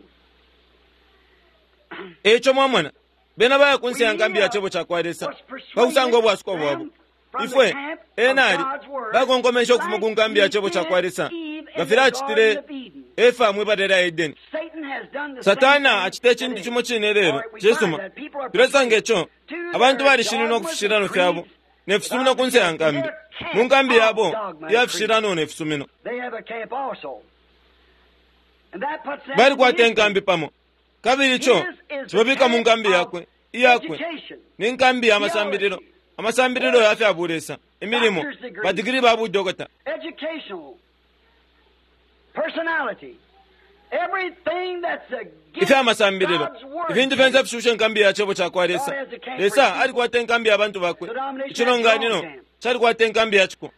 Eco mwamona, bena baya kunse ya nkambi ya cebo ca kwa Lesa pakusanga ubwasuko bwabo. Ifwe ena ali bakonkomesha ukufuma ku nkambi ya cebo ca kwa Lesa nga filya acitile Efa mwi bala lya Edeni. Satana acita icintu cimo cine lelo. Cisuma, tulesanga ico abantu balishininwa ku fishilano fyabo ne fisumino kunse ya nkambi, mu nkambi yabo iya fishilano ne fisumino. Balikwata inkambi pamo, kabili ico cibabika mu nkambi yakwe iyakwe ni nkambi ya masambililo, amasambililo ya fya bulesa, imilimo, badigiri ba budokota, ifya masambililo, ifintu fyonse fishusha inkambi ya cebo ca kwa Lesa. Lesa alikwata inkambi ya bantu bakwe. Icilonganino calikwata inkambi ya ciko.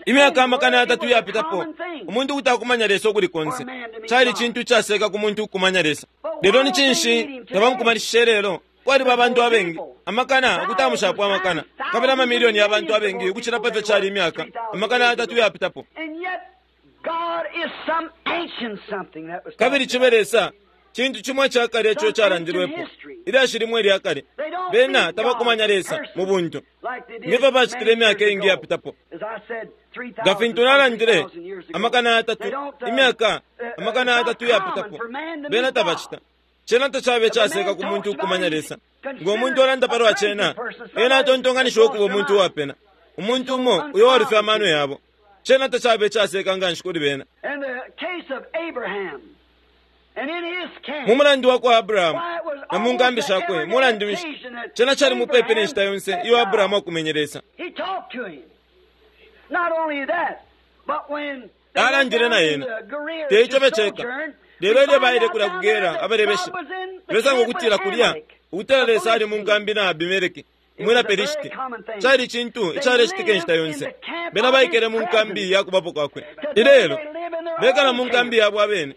Imyaka 3,000 iyapitapo, umuntu kuti akumanya Lesa ukuli konse. Cali cintu icaseka ku muntu ukukumanya Lesa. Lelo ni cinshi tabamukumanishishe lelo? Kwaliba abantu abengi amakana ukutamushapo amakana, kabili amamilioni ya bantu abengi ukucila pa fyo cali imyaka 3,000 iyapitapo. Kabili cibe Lesa cintu cimo icakale ico calandilwepo, ilyashi limwe ilyakale. Bena tabakumanya Lesa mu buntu ngefyo bacitile imyaka iingi iyapitapo. Nga fintu nalandile 3,000, imyaka 3,000 iyapitapo, bena tabacita. Cena tacabe icaseka ku muntu ukukumanya Lesa. Ngo muntu alanda palwa cena, ena atontonganishiwa ukuba umuntu uwapena, umuntu umo uyo walufya amano yabo. Cena tacabe icaseka nga nshi kuli bena. Mu mulandu wa kwa Abrahamu na mu nkambi shakwe, mulandu nshi cena cali mupepi ne nshita yonse iyo Abrahamu akumenye Lesa. Alandile na ena. Te ico fye ceka, lelo ilyo baile kulya ku Gera abalebeshi, tulesanga ukutila kulya, ukutila Lesa ali mu nkambi na Abimeleki, umwina Pelishiti. Cali cintu icalecitika inshita yonse. Bena baikele mu nkambi ya kubapo kwakwe. Ilelo, bekala mu nkambi yabo abene,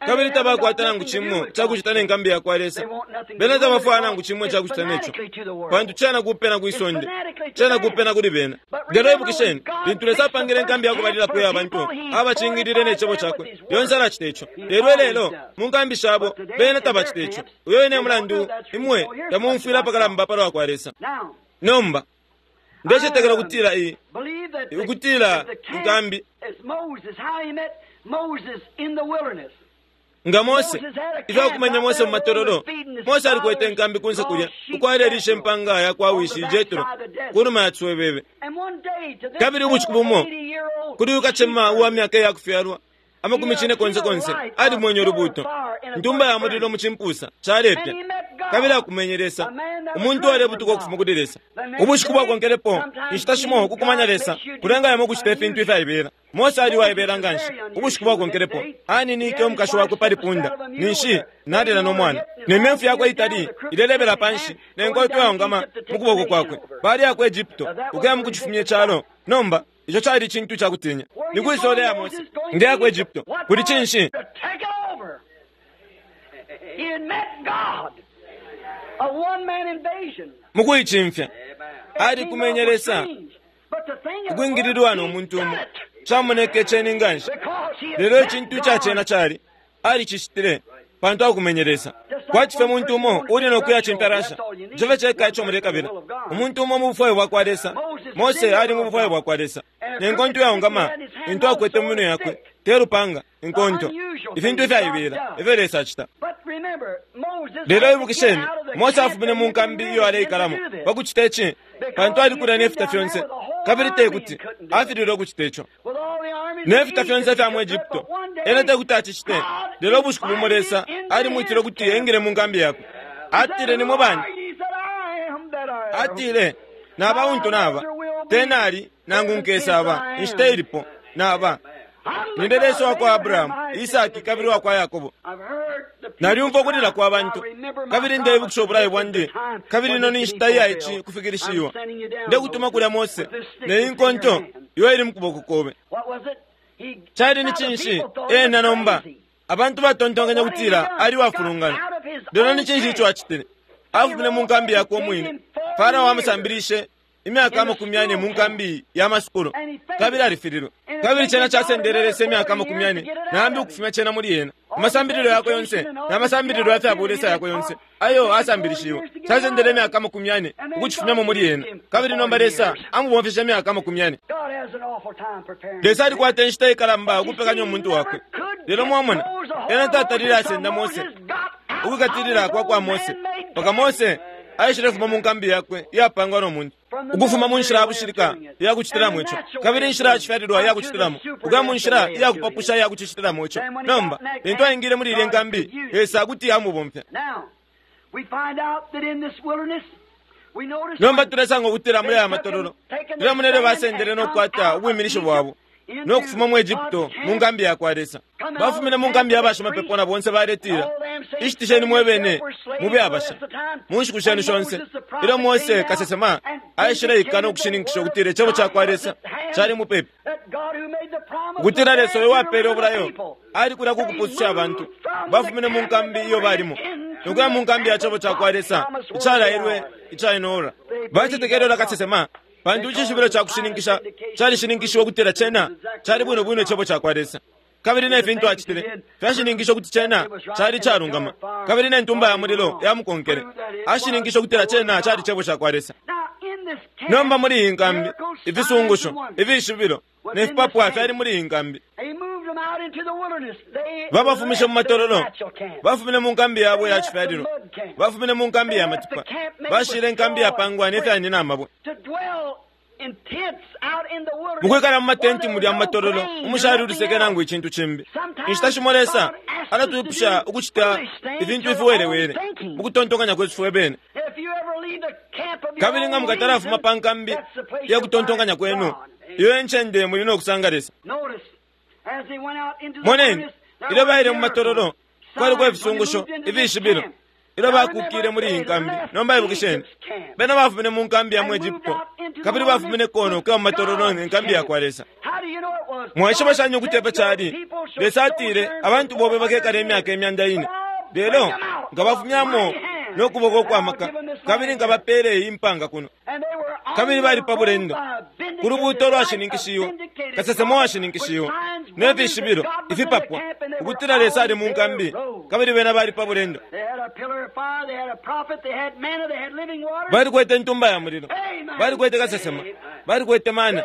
kabili tabakwata nangu cimo icakucita ne nkambi yakwa Lesa. Bena tabafwaya nangu cimo icakucita neco, pantu cena kupena kwi sonde, cena kupena kuli bena. Lelo ibukisheni, lintu Lesa apangile inkambi yakubalilapo iya bantu, abacingilile ne cebo cakwe, lyonse alacita ico. Lelo ilelo, mu nkambi shabo, bena tabacita ico. Uyo wine e mulandu imwe tamumfwila apakalamba palwa kwa Lesa. Nomba, ndecetekela ukutila iyi, ukutila inkambi, nga Mose, ifyo akumanya Mose mu matololo, Mose alikwete inkambi kunse kulya, uko alelisha impanga ya kwa wishi Jetro, ku numa ya ciswebebe. Kabili ubushiku bumo, kuli uyu kacema uwa myaka iya kufyalwa, amakumi cine konse konse, alimwenye ulubuuto, ntumba ya mulilo mu cimpusa, calepya. Kabili akumenye Lesa, umuntu uwalebutuka ukufuma kuli Lesa. Ubushiku bwakonkelepo, inshita shimo ukukumanya Lesa kulenga yamo ukucita ifintu ifyaibela. Mose ali uwaibela nganshi. Ubushiku bwakonkelepo, aninike umukashi wakwe pali punda, ninshi nalela no mwana. Ne myemfu yakwe itali ilelebela panshi, ne nkonto yaongama mu kuboko kwakwe. Baliya ku Egypto, ukuya mu kucifumya icalo. Nomba, ico cali icintu ca kutinya. Ni kwi isole ya Mose? Ndeya ku Egypto. Kuli cinshi? Mu kuicimfya, alikumenye Lesa, ukwingililwa no muntu umo. Camoneke ceni nganshi. Lelo icintu ica cena cali, alicicitile, pantu akumenye Lesa. Kwati fye muntu umo uli no kuya cimfya Russia. Ico fye ceka ico mulekabila. Umuntu umo mu bufwayo bwakwa Lesa. Mose ali mu bufwayo bwakwa Lesa. Ne nkonto yaongama, intu akwete mu minwe yakwe, te lupanga, inkonto. Ifintu ifyaibela, ifyo Lesa acita. Lelo ibukisheni, Mose afumine mu nkambi iyo aleikalamo pa kucita ici, pantu alikulya ne fita fyonse, kabili te kuti afililwe ukucita ico. Ne fita fyonse ifya mu Egypto, ena te kuti acicite. Lelo ubushiku bumo Lesa alimwitile ukuti engile mu nkambi yakwe. Atile, Nimwe bani? Atile, Naba untu naba, te nali nangu nkesaba, inshita ilipo, naba. Ninde Lesa wa kwa Abrahamu, Isaki kabili wa kwa Yakobo. Nalyumfwa ukulila kwa bantu, kabili ndeibukisha ubulayo bwandi, kabili ino ni nshita iya ici kufikilishiwa. Ndekutuma kulya Mose, ne inkonto iyo ili mu kuboko kobe. Cali ni cinshi ena nomba? Abantu batontonkanya kutila ali wafulungana. Lelo ni cinshi ico acitile? Afumine mu nkambi yakwe umwine. Farao amusambilishe imyaka 40 mu nkambi ya masukulu, kabili alifililwe. Kabili cena casendele Lesa imyaka 40 nambi ukufumya cena muli ena. Amasambililo yakwe yonse na masambililo ya fya bulesa yakwe yonse ayo asambilishiwe, casendele imyaka 40 ukucifumyamo muli ena. Kabili nomba Lesa amubomfeshe imyaka 40. Lesa alikwata inshita ikalamba ukupekanya umuntu wakwe. Lelo mwamona, ena tatalile asenda Mose, ukwikatilila kwa kwa Mose, mpaka Mose aishile fuma mu nkambi yakwe iyapangwa no muntu, ukufuma mu nshila ya bushilika iya kucitilamo ico, kabili inshila ya cifyalilwa iya kucitilamo, ukuya mu nshila iya kupapusha iya kucitilamo ico. Nomba lintu aingile muli ilya nkambi, Lesa kuti amubomfya. Nomba tulesanga ukutila muli aya matololo, tulemona ilyo basendele no kukwata ubwiminisho bwabo no kufuma mu Egypto mu nkambi ya kwa Lesa. Bafumine mu nkambi ya bashimapepo na bonse baletila, ishitisheni mwe bene mube abasha mu nshiku shenu shonse. Ilyo Mose kasesema aishile no kushininkisha ukutila icebo ca kwa Lesa cali mupepi, ukutila Lesa uyo wapele ubulayo ali kulya ku kupususha abantu. Bafumine mu nkambi iyo balimo nokuya mu nkambi ya cebo ca kwa Lesa icalailwe ica inoora. Bacetekele ulya kasesema, pantu icishibilo ca kushininkisha calishininkishiwe ukutila cena cali bwino bwino icebo ca kwa Lesa. Kabili ne fintu acitile fyashininkisha ukuti cena cali calungama, kabili ne ntumba ya mulilo yamukonkele, ashininkisha ukutila cena cali cebo ca kwa Lesa. Nomba muli iyi nkambi, ifisungusho, ifishibilo ne fipapwa fyali muli iyi nkambi. Babafumishe mu matololo, bafumine mu nkambi yabo ya cifyalilwa, bafumine mu nkambi ya matipa, bashile inkambi yapangwa ne fyani na mabwe. Mukwikala mu matenti mulya mu matololo, umushali uliseke nangu icintu cimbi. Inshita shimo Lesa alatwipusha ukucita ifintu ifiwelewele mu kutontonkanya kwesu fwe bene. Kabili nga mukatalafuma pa nkambi ya kutontonkanya kwenu, iyo encende muli no kusanga Lesa. Moneni, ilyo baile mu matololo, kwaliko ifisungusho, ifishibilo, ilyo bakukile muli iyi nkambi. Nomba ibukisheni, bena bafumine mu nkambi ya mu Egypto, kabili bafumine kono kuya mu matololo ne nkambi ya kwa Lesa. Mwaishiba shani ukuti epo cali? Lesa atile, abantu bobe bakekala imyaka 400, lelo nkabafumyamo no kuboko kwa maka, kabili nkabapele iyi mpanga kuno. Kabili bali pa bulendo ku lubuuto lwashininkishiwe, kasesema washininkishiwe, ne fishibilo ifipapwa ukutila Lesa ali mu nkambi, kabili bena bali pa bulendo. Balikwete intumba ya mulilo, balikwete kasesema, balikwete mana,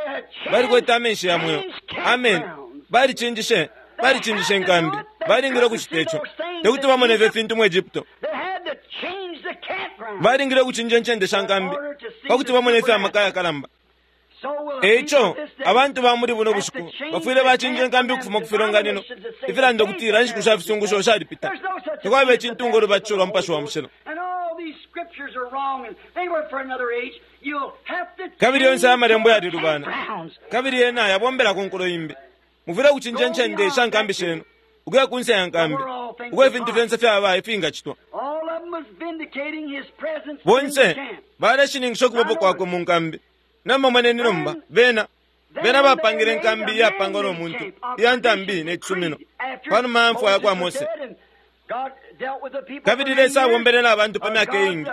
balikwete amenshi ya mweo. Amen. Balicinjishe, balicinjishe nkambi. Balingile ukucita ico, tekuti bamone ifyo fintu mu Egypto. Balingile ukucinja incende sha nkambi pakuti bamone ifyo amaka yakalamba. Eico abantu ba muli buno bushiku bafwile bacinja inkambi ukufuma ku filonganino ifilanda ukutila inshiku sha fisungusho shalipita, takwaba icintu ulubatisho lwa Mupashi wa Mushilo. Kabili yonse amalembo yalilubana, kabili yena yabombela ku nkulo imbi. Mufwile ukucinja incende sha nkambi shenu ukuya kunse ya nkambi, uko ifintu fyonse fyaba ifingacitwa. Bonse baleshininkisha ukubapo kwakwe mu nkambi. Nomba moneni nomba, bena bena bapangile inkambi iyapangwa no muntu, iya ntambi ne cisumino, panuma ya mfwa ya kwa Mose. Kabili Lesa abombele na bantu pa myaka iingi.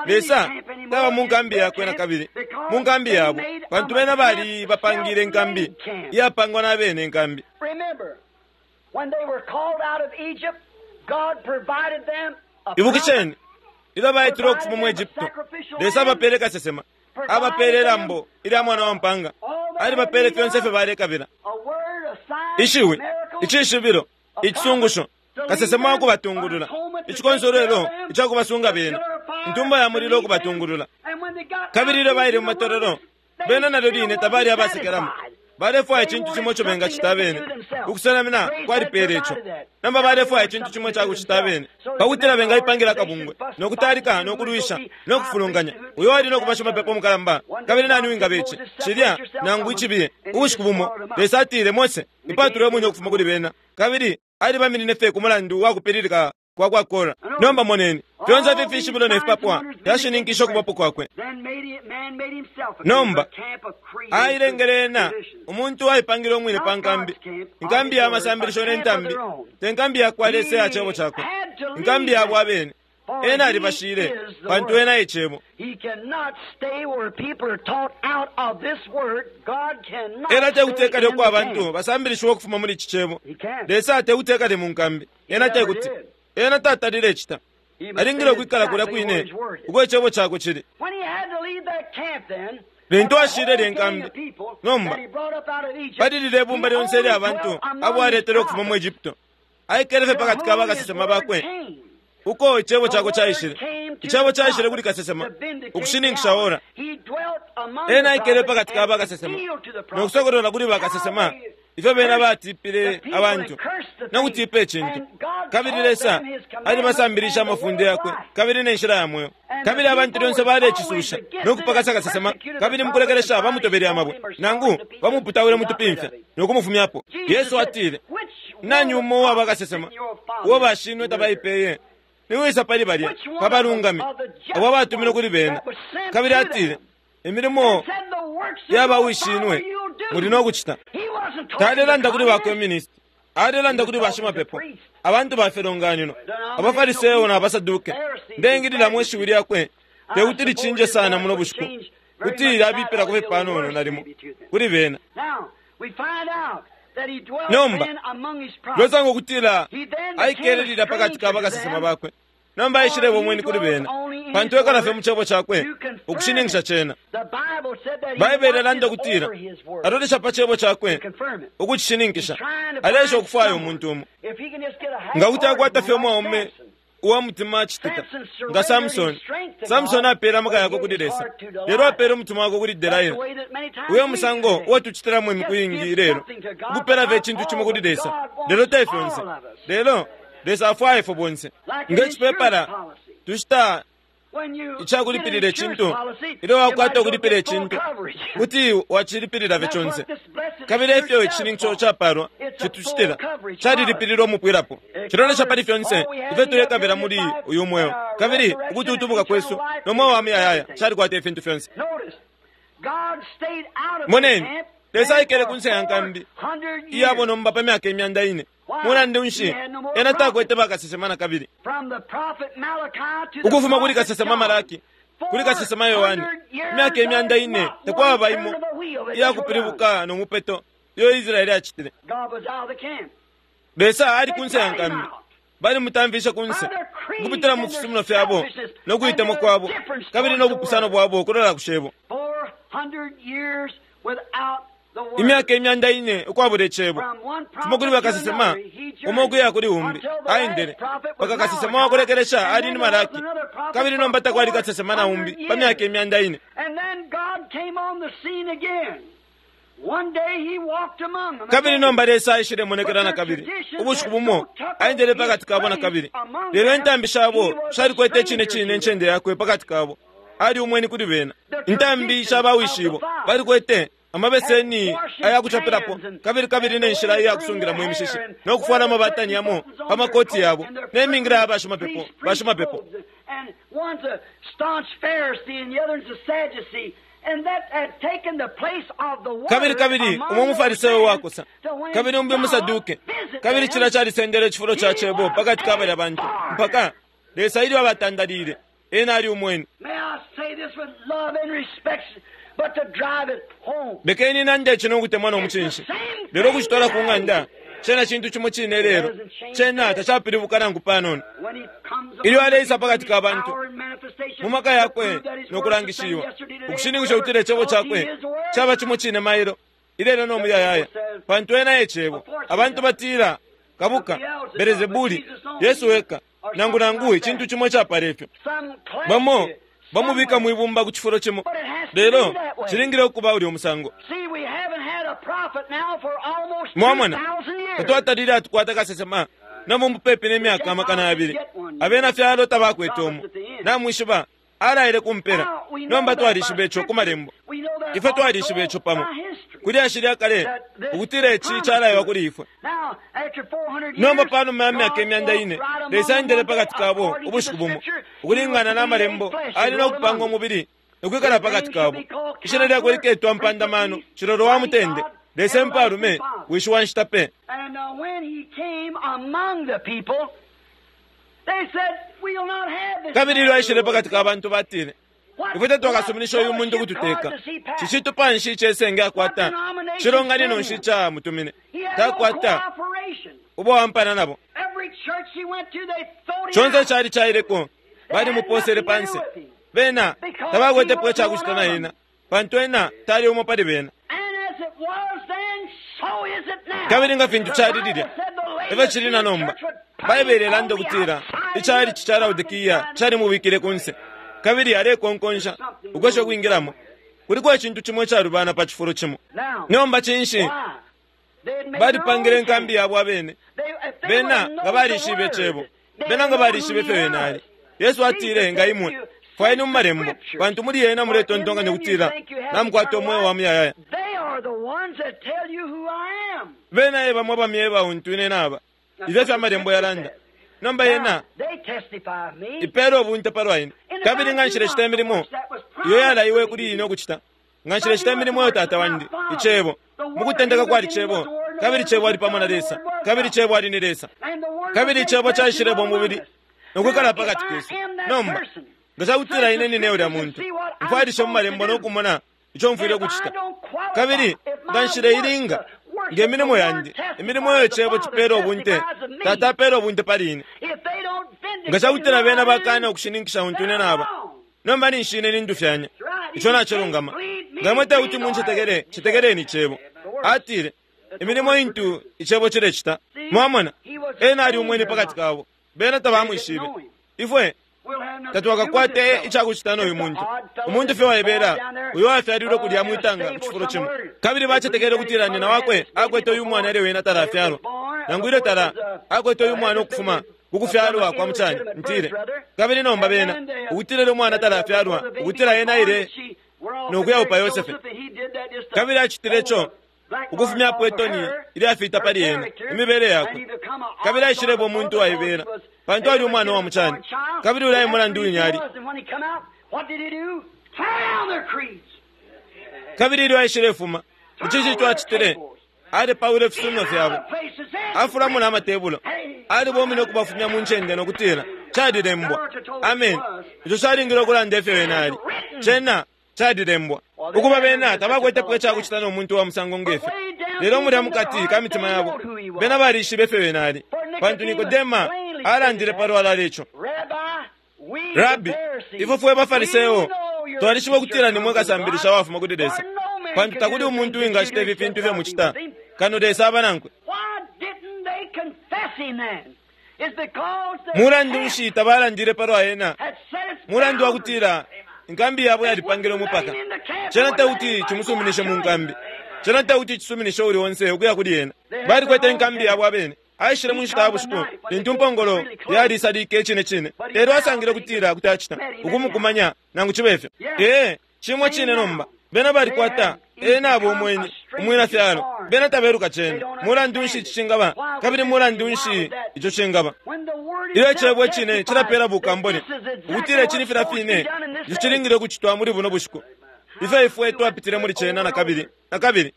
Lesa taba mu nkambi yakwe na kabili, mu nkambi yabo, pantu bena bali bapangile inkambi iyapangwa na bene inkambi. Ibukisheni, ilyo baitile ukufuma mu Egypto, Lesa abapele kasesema, abapele ilambo ilya mwana wa mpanga, alibapele fyonse ifyo balekabila: ishiwi, icishibilo, icisungusho, kasesema wa kubatungulula, icikonsolwelo ica kubasunga bena, intumba ya mulilo ukubatungulula. Kabili ilyo baile mu matololo, bena nalyo line tabali abasekelamo. Balefwaya icintu cimo ico bengacita abene. Ukusenamina kwalipeele ico. Nomba balefwaya icintu cimo ica kucita abene, pakutila bengaipangila akabungwe, no kutalika, no kulwisha, no kufulunganya uyo ali no kuba shimapepo mukalamba. Kabili nani wingaba ici, cilya, nangu icibiye? Ubushiku bumo Lesa atile, Mose, ipatule umwine ukufuma kuli bena. Kabili alibaminine fye ku mulandu wa kupililika kwa kwa Kora. Nomba moneni, fyonse ifi fishibilo ne fipapwa fyashininkisha ukubapo kwakwe. Nomba ailengele ena umuntu aipangile umwine pa nkambi, inkambi ya masambilisho ne ntambi, te nkambi ya kwa Lesa ya cebo cakwe, inkambi yabo abene. Ena alibashile, pantu ena e cebo. Ena tekuti uko abantu basambilishiwa ukufuma muli ici cebo. Lesa tekuti ekale mu nkambi. Ena tekuti, ena tatalile icita. Alingile ukwikala kulya kwine uko icebo cakwe cili. Lintu ashile lye nkambi, nomba pali lilye ibumba lyonse ilya bantu abo aletele ukufuma mu Egypto, aikele fye pakati ka bakasesema bakwe uko icebo cakwe caishile. Icebo caishile kuli kasesema ukushininkisha ora. Ena aikele pakati ka bakasesema no kusokolola kuli bakasesema ifyo bena batipile abantu no kutipa icintu. Kabili Lesa alibasambilisha amafunde yakwe kabili ne nshila ya mweo. Kabili abantu lyonse balecisusha no kupakasa kasesema, kabili mukulekelesha bamutobele amabwe, nangu bamuputawile mutupimfya no kumufumyapo. Yesu atile, nani umo uwa bakasesema uo bashinwe tabaipeye? Niwisa pali balya pabalungami abo abatumile kuli bena? Kabili atile, imilimo yabawishinwe muli no kucita. Talelanda kuli ba communist, alelanda kuli bashimapepo, abantu ba filonganino, abafariseo na basaduke. Ndengililamo ishiwi lyakwe tekuti licinje sana muno bushiku, kuti lyabipilako fye panono nalimo kuli bena. Nomba losanga ukutila aikele lilya pakati ka bakasesema bakwe. Nomba aishileba umweni kuli bena, pantu ekala fye mu cebo cakwe ukushininkisha cena. Baibele alanda ukutila alolesha pa cebo cakwe ukucishininkisha. Alesha ukufwaya umuntu umo nga kuti akwata fye umwaume uwa mutima acitika nga Samsoni. Samsoni apele amaka yakwe kuli Lesa, lelo apele umutima wakwe kuli Delaila. Uyo musango uo tucitilamo imiku iingi ilelo, ukupela fye icintu cimo kuli Lesa, lelo te fyonse. Lelo Lesa afwaya ifwe bonse. Nge cipepala tushita Icakulipilila icintu, ilyo wakwata ukulipila icintu, kuti wacilipilila fye conse. Kabili efyo icishininkisho capalwa citucitila, calilipililwa umupwilapo. Cilolesha pali fyonse ifyo tulekabila muli uyu mweo, kabili ukututubuka kwesu no mweo wa muyayaya calikwata ifintu fyonse. Moneni, Lesa aikele kunse ya nkambi iyabo nomba pa myaka 400. Mulandu nshi ena takwete bakasesema na kabili? Ukufuma kuli kasesema Malaki kuli kasesema Yohane, imyaka 400 takwaba imo iyakupilibuka no mupeto iyo Israeli acitile. Lesa ali kunse ya nkambi, balimutamfishe kunse ukupitila mu fisumino fyabo no kuitemwa kwabo kabili no bupusano bwabo ukulola ku cebo. Imyaka 400 ukwabula icebo, fuma kuli bakasesema umo ukuya kuli umbi aendele mpaka kasesema wakulekelesha ali ni Malaki, kabili nomba takwali kasesema na umbi pa myaka 400. Kabili nomba Lesa aishilemonekela na kabili ubushiku bumo aendele pakati kabo na kabili, lelo intambi shabo shalikwete icine cine incende yakwe pakati kabo. Ali umweni kuli bena. Intambi sha bawishibo balikwete amabeseni ayakuchapilapo kabili kabili ne nshila iyakusungilamo imishishi no kufwala amabatani yamo pa makoti yabo ne mingila ya bashimapepo bashimapepo. Kabili kabili umo mufarisayo wakosa kabili umbi umusaduke, kabili cila calisendele icifulo ca cebo pakati ka balya bantu mpaka Lesa ilyo abatandalile ena ali umweni. Lekeni nande ici no kutemwa no mucinshi, lelo ukucitwala ku ng'anda cena cintu cimo cine lelo cena tacapilibuka nangu panono. Ilyo aleisa pakati ka bantu mu maka yakwe no kulangishiwa, ukushininkisha ukutila icebo cakwe caba cimo cine mailo ilelo no muyayaya, pantu ena e cebo. Abantu batila kabuka Belezebuli, Yesu weka, nangu nangu icintu cimo icapala ifyo. Bamo bamubika mwibumba ku cifulo cimo, lelo cilingile ukuba ulya umusango. Mwamona, tatwatalile atukwata kasesema nabo mupepi ne myaka 200. Abena fyalo tabakwete umo. Namwishiba alaile kumpela. Nomba twalishiba ico ku malembo. Ifwe twalishiba ico pamo kuli ashili kale ukutila ici calaiwa kuli ifwe. Nomba panuma ya myaka 400, Lesa aendele pakati kabo ubushiku bumo ukulingana na malembo. Ali no kupanga umubili nokwikala pakati kabo. Ishina lyakwe liketwa mpandamano, cilolo wa mutende, Lesa mpalume, wishi wa nshita pe. Kabili ilyo aishile pakati ka bantu batile, ifwe tatwakasuminisha uyu muntu kututeka. Cicitupa nshi icesenge akwata? Cilonganino nshi camutumine? Takwata ubo wampana nabo. Conse cali caileko balimuposele panse. Bena tabakwetepo icakucita na ena, pantu ena tali umo pali bena. Kabili nga fintu cali lilya, efyo cili na nomba. Baibele ilanda ukutila icali ca Laodikia calimubikile kunse, kabili alekonkonsha ukwesha ukwingilamo. Kuliko icintu cimo icalubana pa cifulo cimo. Nomba cinshi? Balipangile inkambi yabo abene. Bena nga balishibe icebo, bena nga balishibe ifyo ena ali. Yesu atile, nga imwe fwayeni mu malembo, pantu muli yena muletontonkanya ukutila namukwata umweo wa muyayaya. Bena e bamo abamyeba untu ine naba. Ifyo efyo amalembo yalanda. Nomba yena ipela ubunte palwa ine. Kabili nga nshilecita imilimo iyo yalaiwe kuli ine ukucita, nga nshilecita imilimo iyo Tata wandi, icebo mukutendeka kwali cebo, kabili cebo ali pamo na Lesa, kabili cebo ali ni Lesa, kabili icebo caishilebo umubili nokwikala pakati kesu. Nomba nga cakutila ine nine ulya muntu, mfwailishe mu malembo no kumona ico mfwile ukucita. Kabili nga nshileilinga nge milimo yandi, imilimo iyo icebo cipela ubunte, Tata apela ubunte pali ine. Nga cakutila bena bakana ukushininkisha untu ine naba, nomba ninshi ine nindufyanya. Ico nacilungama. Nga imwe tekuti muncetekele, cetekeleni icebo. Atile, imilimo intu icebo cilecita. Mwamona, ena ali umweni pakati kabo, bena tabamwishibe. Ifwe tatwakakwate icakucita noyu muntu, umuntu fye waibela uyo wafyalilwe kulya mwitanga ku cifulo cimo. Kabili bacetekele ukutila nyina wakwe akwete uyu mwana ilyo wena talafyalwa, nangu ilyo tala akwete uyu mwana ukufuma kukufyalwa kwa mucani, ntile. Kabili nomba bena, ukutila ilyo umwana talafyalwa, ukutila ena aile nokuyaupa Yosefe. Kabili acitile ico ukufumyapo itoni ilyafita pali ena, imibele yakwe. Kabili aishileba umuntu waibela, pantu ali umwana wa mucani. Kabili ulya e mulandu wine ali. Kabili ilyo aishilefuma, icinshi ico acitile? Alepaula ifisumino fyabo, afulamo na amatebulo, alibomine ukubafumya mu ncende no kutila, Calilembwa. Ameni. Ico calingile ukulanda ifyo ena ali. Cena calilembwa. Ukuba bena tabakwetepo icakucita no muntu wa musango ngefyo. Lelo mulya mukati ka mitima yabo, bena balishibe ifyo ena ali. Pantu Nikodema alandile palwalala ico. Rabi, ifwe fwe baFariseo twalishiba ukutila nimwe kasambilisha wafuma kuli Lesa, pantu takuli umuntu uwingacita ifi fintu ifyo mucita kano Lesa aba nankwe. Mulandu nshi tabalandile palwa ena? Mulandu wa kutila inkambi yabo yalipangile umupaka. Cena tekuti cimusuminishe mu nkambi. Cena tekuti cisuminishe uuli onse ukuya kuli ena. Balikwete inkambi yabo abene. Aishile mu nshita ya bushiku lintu impongolo yalisalike icine cine, lelo asangile ukutila kuti acita ukumukumanya nangu cibe fyo. Ee, cimo cine nomba. Bena balikwata ena abo umweni umwina fyalo. Bena tabeluka cena. Mulandu nshi ici cingaba? Kabili mulandu nshi ico cingaba? Ilyo icebo icine cilapela bukambone ukutila ici ni filya fine ico cilingile ukucitwa muli buno bushiku. Ifyo ifwe twapitile muli cena na kabili na kabili,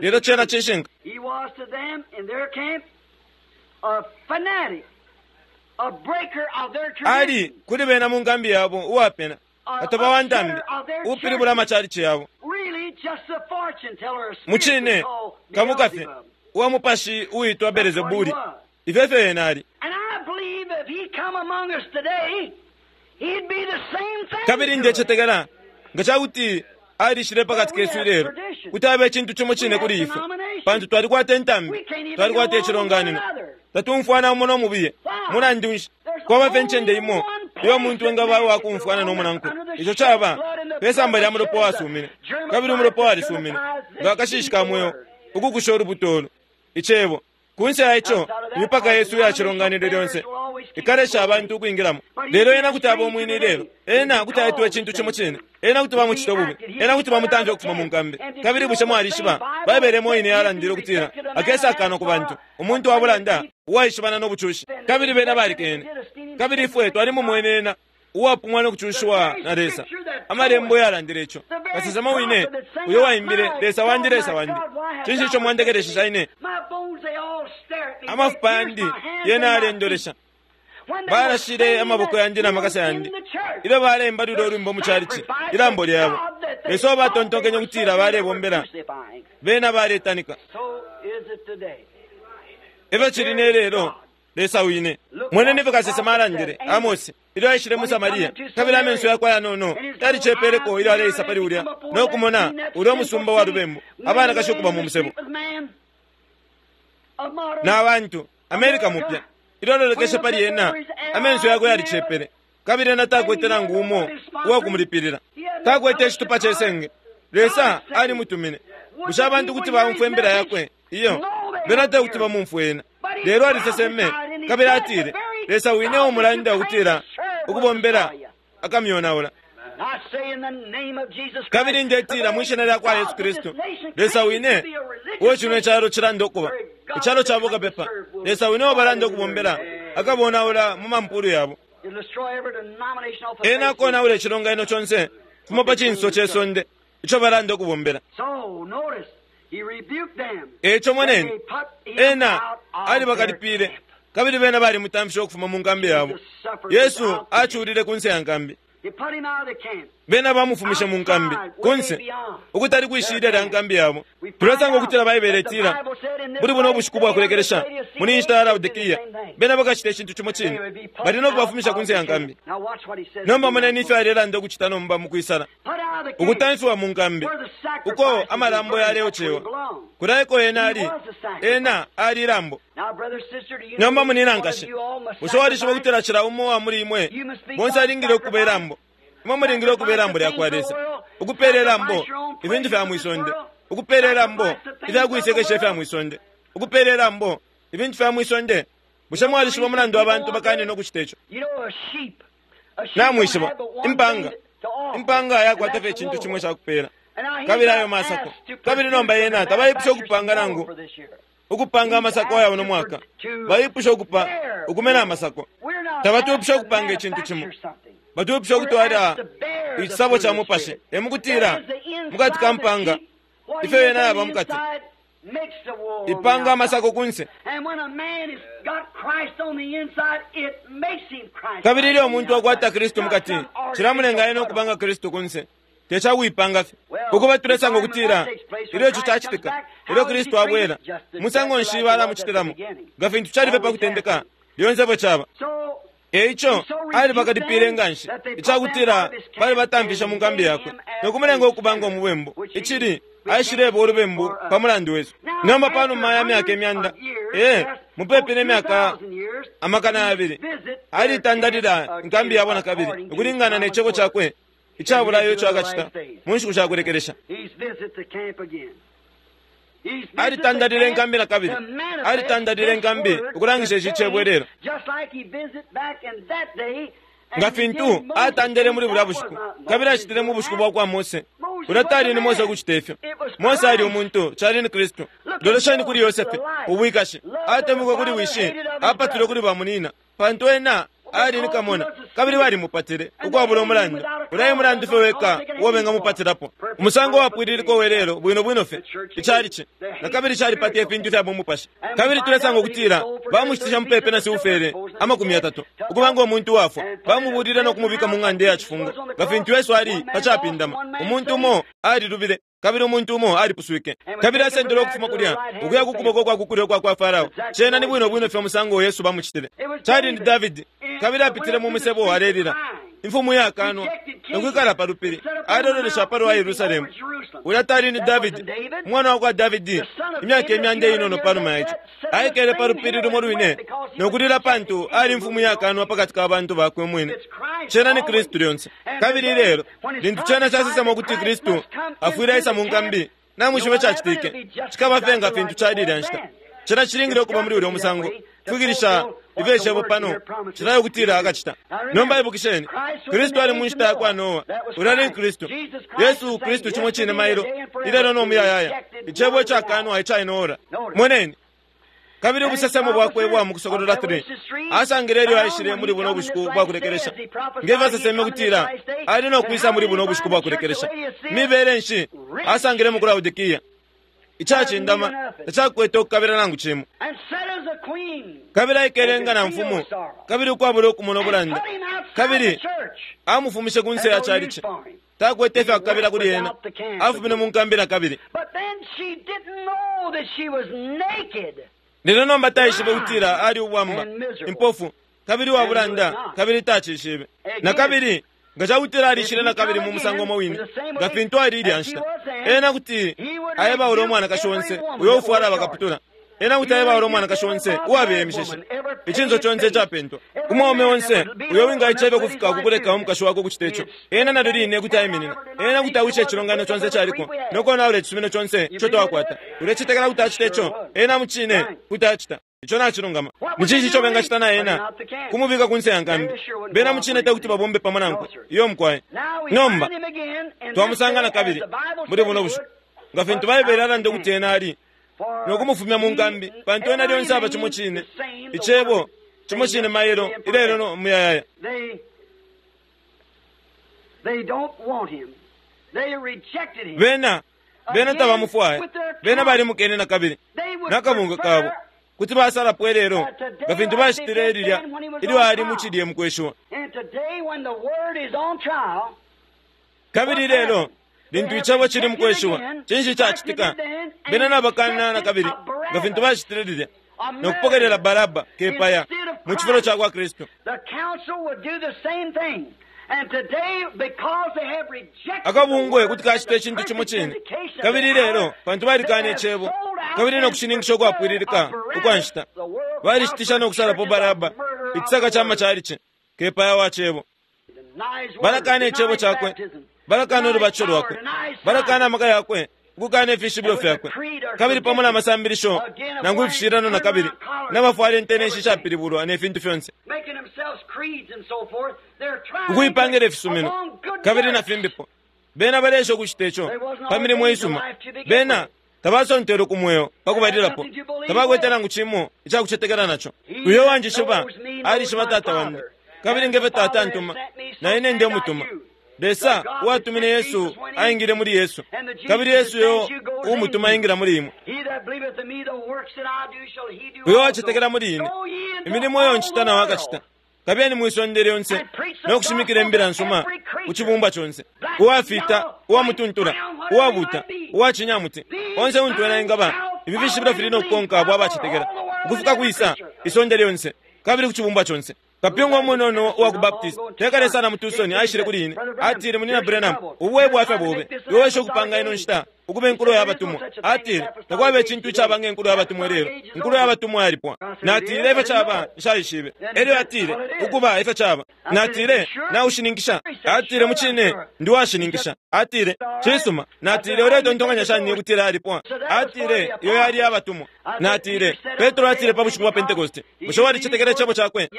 lelo cena cishinka. He was to them in their camp a fanatic, a breaker of their Ali tradition, kuli bena mu nkambi yabo uwapena, katoba wa ntambi, upilibula amachalichi yabo. really just a fortune teller, a spirit Mucine called kamukafe Beelzebub. uwa mupashi uitwa Belezebuli. Ifyo efyo ena ali. And I believe if he come among us today, he'd be the same thing. Kabili to us. ndecetekela nga cakuti alishile pakati kesu ilelo kuti abe icintu cimo cine kuli ifwe, pantu twalikwata intambi, twalikwata icilonganino, tatumfwana umo no mubiye. Mulandu nshi kwaba fye incende imo iyo umuntu engaba uwakumfwana no munankwe? Ico caba pe samba lya mulopa wasumine, kabili umulopa walisumine nga akashishi ka mweo ukukusha ulubuto ulu icebo. Kunse ya ico, imipaka yesu iya cilonganino lyonse ikalesha abantu ukwingilamo. Lelo ena kuti aba umwine ilelo, ena kuti aitwa icintu cimo cine, ena kuti bamucita ububi, ena kuti bamutamfya ukufuma mu nkambi. Kabili bushe mwalishiba Baibele imo ine yalandile ukutila akesa akano ku bantu, umuntu wa bulanda uwaishibana no bucushi. Kabili bena balikene. Kabili ifwe twalimumwene ena uwapumwa no kucushiwa na Lesa. Amalembo yalandile ico. Kasesema wine uyo waimbile, Lesa wandi, Lesa wandi, cinshi ico mwandekelesha ine? My bones, they all stare at me. Amafupa They yandi pierce my hands yena and my alendolesha. feet. When they were Balashile singing amaboko that yandi na makasa hymn yandi. in the church, Ilyo baleimba lulya ulwimbo mu chalichi, ilambo lyabo. Lesa batontonkenye ukutila balebombela, crucifying. bena baletanika. So is it today. Efyo cili ne lelo, Lesa wine. Mweneni ifyo kasesema alandile, Amosi, ilyo aishile mu Samaria, kabili amenso yakwe ayanono yalicepeleko ilyo aleisa pali ulya, no kumona ulya umusumba wa lubembu, abanakashi ukuba mu musebo. Na bantu, Amerika mupya, ilyo alolekeshe pali ena, amenso yakwe yalicepele, kabili ena takwete nangu umo uwakumulipilila. Takwete icitupa ce senge. Lesa alimutumine. Bushe abantu kuti baumfwa imbila yakwe? Iyo, bena tekuti bamumfwe ena. Lelo aliseseme, kabili atile, Lesa wine umulanda ukutila ukubombela akamyonaula. I say in the name of Jesus Christ, Kabili ndetila mwi shina lya kwa Yesu Kristu, Lesa wine uo cino icalo cilanda ukuba icalo cabo kapepa, Lesa wine uo balanda ukubombela akabonaula mu mampulu yabo. It'll destroy every denomination off the Ena face of akonaula icilonganino conse fuma pa cinso ce sonde ico balanda ukubombela. So notice, he rebuked them. Eco moneni, They put him ena out of alibakalipile, their camp. kabili bena balimutamfishe ukufuma mu nkambi yabo. Yesu aculile kunse ya nkambi. He put him out of the camp. Bena bamufumishe mu nkambi kunse ukutali kwishilya lya nkambi yabo. Tulesanga ukutila Baibele itila muli buno ubushiku bwa kulekelesha muli nshita ya Laodikiya bena bakacita icintu cimo cine, bali no kubafumisha kunse ya nkambi. Now watch what he says. Nomba moneni ifyo alelanda ukucita nomba mu kwisala, Put out of the camp. ukutamfiwa mu nkambi uko amalambo yaleocewa. Kulaiko ena ali, ena ali ilambo. Now, brother, sister, do you Nomba know munina one of nkashi, you all must bushe walishiba sacrifice? ukutila cila umo wa muli imwe bonse alingile ukuba ilambo? Imwe mulingile ukuba ilambo lya kwa Lesa, ukupela ilambo ibintu fya mwisonde, ukupela ilambo ifya kuisekesha ifya mwisonde, ukupela ilambo ibintu fya mwisonde. Bushe mwalishiba umulandu abantu bakanina ukucita ico? Namwishiba, impanga, impanga yakwata fye icintu cimwe cakupela, kabili ayo masako. Kabili nomba yena tabaipusha ukupanga nangu ukupanga amasako ayabo no mwaka. Baipusha ukupa ukumena amasako. Tabatwipusha ukupanga icintu cimo. Batwipusha ukutwala icisabo ca mupashi. Emukutila mukati ka mpanga ifyo yena yaba mukati ipanga amasako kunse. Kabili ilyo umuntu akwata Kristu mukati, cilamulenga ena ukupanga Kristu kunse. Tecakuipanga fye. Ukuba tulesanga ukutila ilyo ico cacitika, ilyo Kristu abwela, musango nshi balamucitilamo? Nga fintu cali fye pa kutendeka, lyonse fyo caba. Eico alibakalipile nganshi icakutila bali batamfisha mu nkambi yakwe no kumulenga ukuba ngo mubembu, icili aishileba ulubembu pa mulandu wesu. Nomba panuma ya myaka imyanda, mupepi ne myaka 200, alitandalila inkambi yabo na kabili ukulingana ne cebo cakwe icabulayo ico akacita mu nshiku shakulekelesha. Alitandalile inkambi na kabili, alitandalile inkambi ukulangisha ici cebo ilelo, nga fintu atandele muli bulya bushiku, kabili acitile mu bushiku bwa kwa Mose. Ulya tali ni Mose ukucita ifyo. Mose ali umuntu, cali ni Kristu. Lolesheni kuli Yosefe, ubwikashi atemwikwe kuli wishi, apatulwe kuli bamunina, pantu ena ali ni kamona, kabili balimupatile ukwabula umulandu. Ulya mulandu fye weka uo bengamupatilapo. Umusango wapwililiko welelo bwino bwino fye icalici na kabili calipata ifintu fya bumupashi. Kabili tulesanga ukutila bamushitisha mupepi na siufele 30 ukuba ngo muntu wafwa. Bamubulile no kumubika mu ng'anda ya cifungo, nga fintu Yesu ali pacapindama. Umuntu umo alilubile, kabili umuntu umo alipuswike, kabili asendelwe ukufuma kulya ukuya ku kuboko kwa kukulyo kwa kwa Farao. Cena ni bwino bwino fye umusango Yesu bamucitile. Cali ni Davidi, kabili apitile mu musebo alelila, imfumu yakanwa, nokwikala pa lupili, alololesha palwa Yerusalemu. Ulya tali ni Davidi, umwana wa kwa Davidi, imyaka imyanda inono panuma ya ico. Aikele pa lupili lumo lwine nokulila pantu ali imfumu yakanwa pakati ka bantu bakwe mwine. Cena ni Kristu lyonse. Kabili ilelo, lintu cena casesema ukuti Kristu afwile aisa mu nkambi, namwishiba cacitike, cikaba fye nga fintu cali ilya nshita. Cena cilingile ukuba muli ulya musango. Kufikilisha ifyo cebo pano cilayo ukutila akacita. Nomba ibukisheni, Kristu ali mu nshita ya kwa Noa. Ulya ni Kristu. Yesu Kristu cimo cine mailo, ilelo no muyayaya. Icebo icakanwa icainoora. Moneni. Kabili ubusesemo bwakwe bwa mu Kusokolola 3 asangile ilyo aishile muli buno bushiku bwa kulekelesha, ngefyo aseseme kutila ali no kwisa muli buno bushiku bwa kulekelesha. Mibele nshi asangile mu Laodikia? Icacindama tacakwete ukukabila nangu cimo. Kabili aikele nga na mfumu, kabili ukwabula ukumona ubulanda, kabili amufumishe ku nse ya calici. Takwete ifya kukabila kuli ena, afumine mu nkambi na kabili. Lelo nomba taishibe kutila ali ubwamba, impofu, kabili wabulanda, kabili tacishibe. Na kabili nga cakutila alishile na kabili mu musango umo wine nga fintu ali ilya nshita, ena kuti aebaula umwanakashi onse uyo ufwala bakaputula. Ena kuti aebaula umwanakashi onse uwabeya imishishi, icinso conse icapentwa, umwaume onse uyo wingaicebe kufika kukuleka umukashi wakwe ukucita ico. Ena nalyo line kuti aiminina. Ena kuti awisha icilonganino conse caliko nokonaula icisumino conse ico twakwata. Ulecetekela kuti acita ico? Ena mucine kuti acita ico. Nacilungama. Ni cinshi ico bengacita na ena? Kumubika kunse ya nkambi. Bena mucine tekuti babombe pamo nankwe. Iyo mukwaye. Nomba twamusanga na kabili muli buno bushiku, nga fintu Baibele alanda ukuti ena ali nokumufumya mu nkambi, pantu ena lyonse aba cimo cine, icebo cimo cine mailo, ilelo no muyayaya. Bena tabamufwaya. Bena balimukene na kabili nakabunga kabo kuti basalapo ilelo nga fintu bacitile lilya ilyo ali mu cilye mu kweshiwa. Kabili ilelo lintu icebo cili mu kweshiwa, cinshi cacitika? Bena nabakana na kabili nga fintu bacitile lilya, no kupokelela Baraba kepaya mu cifulo ca kwa Kristu. Akabungwe kuti kacita icintu cimo cine. Kabili lelo pantu balikana icebo kabili no kushininkisha ukwapwililika ukwa nshita, balishitisha no kusalapo Baraba, icisaka ca macalici, kepaya wa cebo. Balakana icebo cakwe, balakana ulubatisho lwakwe, balakana amaka yakwe, Ukukana ifishibilo fyakwe, kabili pamo na masambilisho nangu ifishilano na kabili nabafwala intenenshi ishapilibulwa ne fintu fyonse, ukuipangila ifisumino kabili na fimbipo. Bena baleesha ukucita ico pa milimo isuma. Bena tabasontelwe ku mweo pakubalilapo, tabakwete nangu cimo icakucetekela naco. Uyo wanjishiba alishiba Tata wandi, kabili ngefyo Tata antuma, na ine ndemutuma. Lesa uwatumine Yesu aingile muli Yesu, kabili Yesu yo uumutuma aingila muli imwe. Uyo wacetekela muli ine, imilimo iyo ncita nawo akacita. Kabiyeni mwisonde lyonse no kushimikila imbila nsuma ku cibumbwa conse. Uwafita, uwamutuntula, uwabuta, uwacinyamuti, onse untu ena engaba, ifi fishibilo fili no kukonka abo abacetekela ukufika kwisa isonde lyonse kabili ku cibumbwa conse. Kapyunga umunono uwa ku Baptist tekale sana mu Tucson aishile kuli ine, atile, Munyina Branham, ubu e bwafya bobe. Iwe wesha ukupanga ino nshita ukuba inkulo ya batumwa. Atile, takwaba icintu icaba nge nkulo ya batumwa lelo. Inkulo ya batumwa yalipwa. Natile, ifyo caba, nshaishibe. Elyo atile, ukuba ifyo caba. Natile, naushininkisha? Atile, mucine ndi washininkisha. Atile, cisuma. Natile, uletontonkanya shani ukutila yalipwa? Atile, iyo yali yabatumwa. Natile, Petro atile pa bushiku bwa Pentecost, bushe walicetekela icebo cakwe?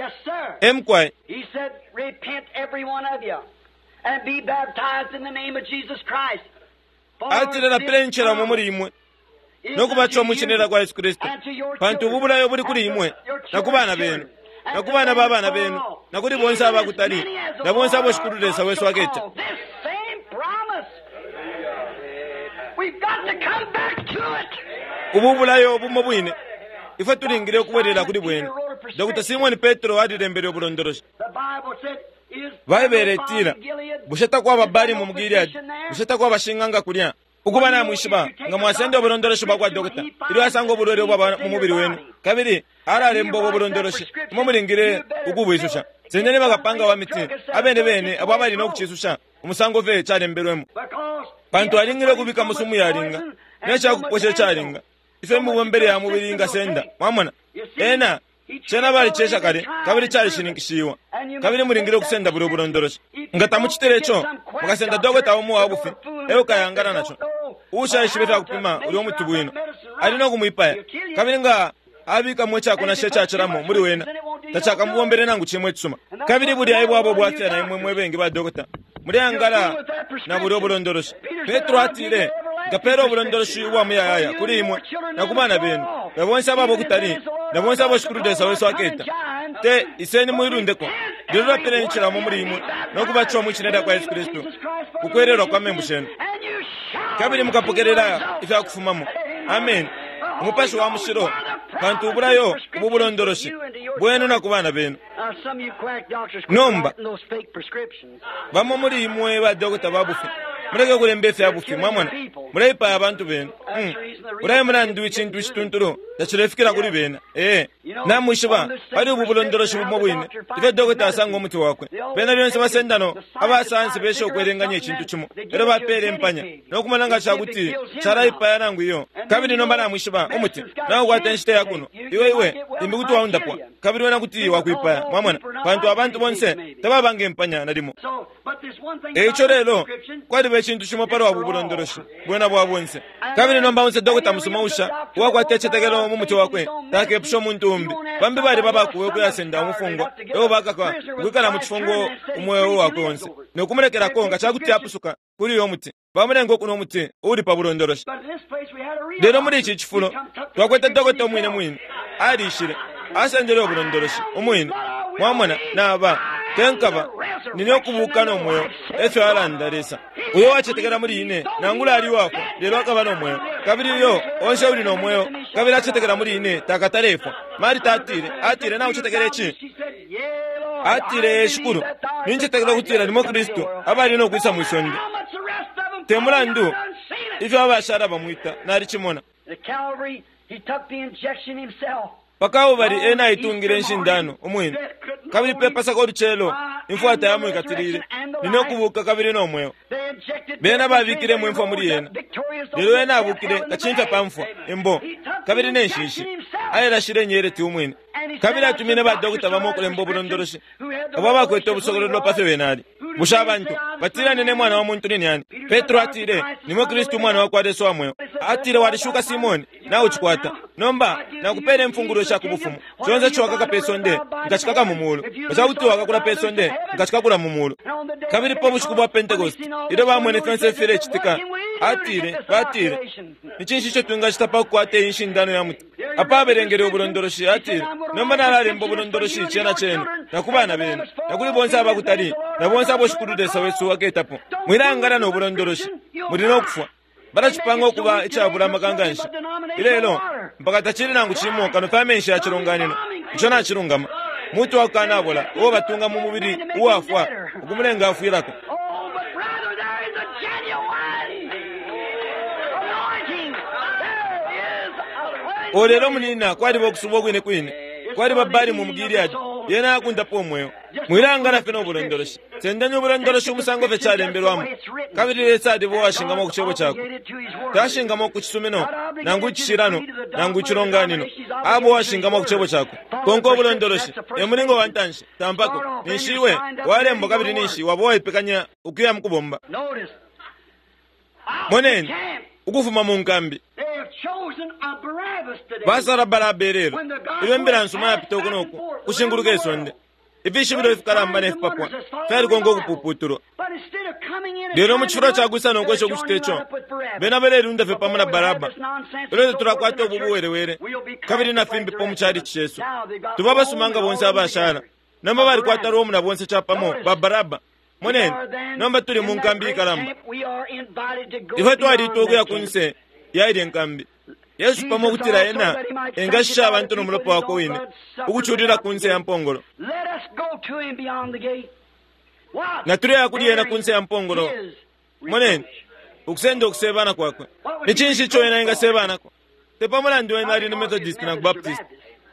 Emkwai. He said, Repent every one of you and be baptized in the name of Jesus Christ. Atile, lapileni cila umo muli imwe no kubatishiwa mwi shina lya kwa Yesu Kristu, pantu ubu bulayo buli kuli imwe na ku bana benu na ku bana ba bana benu na kuli bonse abakutali na bonse abo Shikulu Lesa wesu aketa. Ubu bulayo bumo bwine ifwe tulingile ukubwelela kuli bwene. Dr. Simon Petro alilembele ubulondoloshi. Baibele itila, bushe takwaba Balimu mu Gileadi? Bushe takwaba shing'anga kulya? Ukuba namwishiba, nga mwasenda ubulondoloshi bwa kwa dokota ilyo asanga ubulwele ubwaba mu mubili wenu, kabili alalemba ubwo bulondoloshi, imwe mulingile ukubwisusha. Sendeni bakapanga wa miti abene bene abo abali no kucisusha umusango fye calembelwemo, pantu alingile ukubika mu sumu yalinga ne cakuposha icalinga ifyo imibombele ya mubili ingasenda. Mwamona, ena cena balicesha kale kabili calishininkishiwa, kabili mulingile ukusenda bulyo bulondoloshi. Nga tamucitile ico, mukasenda dokota umo wa bufi eo kayangana naco, uushaishiba ifya kupima ulyo muti bwino, ali no kumwipaya. Kabili nga abikamo icakunasha icacilamo muli wena, tacakamubombele nangu cimo icisuma. Kabili bulya ebwabo bwafya na imwe mwe bengi ba dokota muleyangala na bulyo bulondoloshi. Petro atile, nkapela ubulondoloshi ubwa muyayaya kuli imwe na ku bana benu na bonse ababo kutali na bonse abo Shikulu Lesa wesu aketa. Te iseni muilundeko, lelo lapileni cilamo muli imwe no kubatishiwa mwi shina lya kwa Yesu Kristu ku kwelelwa kwa membu shenu, kabili mukapokelela ifya kufumamo. Amen. Umupashi wa mushilo, pantu ubulayo ubu bulondoloshi bwenu na ku bana benu. Nomba bamo muli imwe ba dokota ba bufi muleke kulemba ifya bufi, mwamona, muleipaya abantu benu. Ulaye mulandu icintu icituntulu tacilefikila kuli bena. Ee, namwishiba pali ubu bulondoloshi bumo bwine ifyo dokota asanga umuti wakwe. Bena lyonse basendano abasayansi besha ukwelenganya icintu cimo, elyo bapela impanya no kumona nga cakuti calaipaya nangu iyo. Kabili nomba namwishiba umuti naukwata inshita ya kuno, iwe iwe limbi kuti waundapwa, kabili wena kuti wakwipaya, mwamona, pantu abantu bonse tababa nge mpanya nalimo. Eico lelo kwaliba icintu cimo palwa ubu bulondoloshi bwena bwa bonse. Kabili nomba onse dokota musuma usha uwakwata icitetekelo mu muti wakwe takepusha umuntu umbi. Bambi baliba bakuwe ukuyasenda umufungwa eo bakakwa ukwikala mu cifungo umweo wakwe onse no kumulekelako nga cakuti apusuka kuli uyo muti. Bamulenga ukunwa umuti uuli pa bulondoloshi. Lelo muli ici cifulo twakwete dokota umwine mwine alishile asendele ubulondoloshi umwine. Mwamona, naba tenkaba nine ukubuka no mweo, efyo alanda Lesa. Uyo wacetekela muli ine, nangula ali uwafwa, lelo akaba no mweo. Kabili uyo onse uli no mweo kabili acetekela muli ine takatalefwa. Marita atile, atile, naucetekela ici? Atile, ee Shikulu, nincetekela ukutila nimwe Kristu abali no kwisa mwi sonde. Te mulandu ifyo abashala bamwita, nalicimona. Pa Kalbale ena aitungile inshindano umwine, kabili pe Pasaka ulucelo imfwa tayamwikatilile. Nine ukubuka kabili no mweo. Bena babikilemo imfwa muli ena, lelo ena abukile kacimfya pa mfwa, imbo, kabili ne nshishi. Ailashile inyeleti umwine, kabili atumine badokota bamo ukulemba ubulondoloshi abo abakwete ubusokololo pa fyo bena ali. Bushe abantu batila nine mwana wa muntu ni nani? Petro atile, nimwe Kristu umwana wa kwa Lesa wa mweo. Atile, walishuka Simoni, nawe ucikwata. Nomba nakupele imfungulo sha ku bufumu. Conse ico wakaka pe sonde, nkacikaka mu mulu. Nga ca kuti wakakula pe sonde, nkacikakula mu mulu. Kabili pa bushiku bwa Pentecost, ilyo bamwene fyonse ifilecitika, atile, batile, ni cinshi ico twingacita pa kukwata iyi nshindano ya muti? Apa abelengele ubulondoloshi, atile, nomba nalalemba ubulondoloshi cena cenu, na ku bana benu, na kuli bonse abakutali, na bonse abo Shikulu Lesa wesu aketapo. Mwilangana no bulondoloshi, muli no kufwa. Balacipanga ukuba icabula amaka nga nshi ilelo, mpaka tacili nangu cimo kano fye amenshi ya cilonganino. Ico nacilungama. Muti wa kukanabola uo batunga mu mubili uwafwa ukumulenga afwilako. Oh, but brother, there is a genuine anointing. There is a O lelo munina kwaliba ukusubwa kwine kwine, kwaliba balimu mu Gileadi, yena akundapo umweo. Mwilangana fye no bulondoloshi. Sendeni ubulondoloshi umusango fye calembelwamo. Kabili Lesa aliba uwashingamo ku cebo cakwe. Tashingamo ku cisumino, nangu icishilano, nangu icilonganino. Abo uwashingamo ku cebo cakwe. Konka ubulondoloshi, e mulingo wa ntanshi, tampako, ninshi iwe walembwa kabili ninshi waba uwaipekanya ukuya mu kubomba. Notice. Out Moneni, the camp, ukufuma mu nkambi. they have chosen a Barabbas today. Basala Baraba ilelo, ilyo imbila nsuma yapita uku noku, kushinguluka isonde. Ifishibilo ifikalamba ne fipapwa fyalikonka ukupuputulwa. But instead of coming in and Lelo mu trying cifulo to ca do it, kwisa no kwesha they're ukucita joining ico, right up with Barabbas. bena balelunda fye pamo na Before we have Baraba. this nonsense Ilyo and so forth tulakwata in our ubu church, buwelewele, we'll be kabili na classified fimbi the po mu rest of chalichi us. cesu. Now they've got Tuba abasuma Rome nga and bonse all abashala. together. Nomba balikwata Barabbas. Rome na bonse capamo, ba Baraba. We Moneni, are then nomba tuli mu in that nkambi great ikalamba. camp. We are invited to go Ifwe twalitwa beyond ukuya that ku camp. nse ya ilye nkambi. Yesu pamo ukutila ena engashisha abantu no mulopa wakwe wine, ukuculila ku nse ya mpongolo. Let us go to him beyond the gate. What? Na tuleya kuli ena ku nse ya There mpongolo. is Moneni, reproach. ukusenda ukusebana kwakwe. Ni cinshi ico ena engasebanako? Te pa mulandu wena ali ni Methodist nangu Baptist.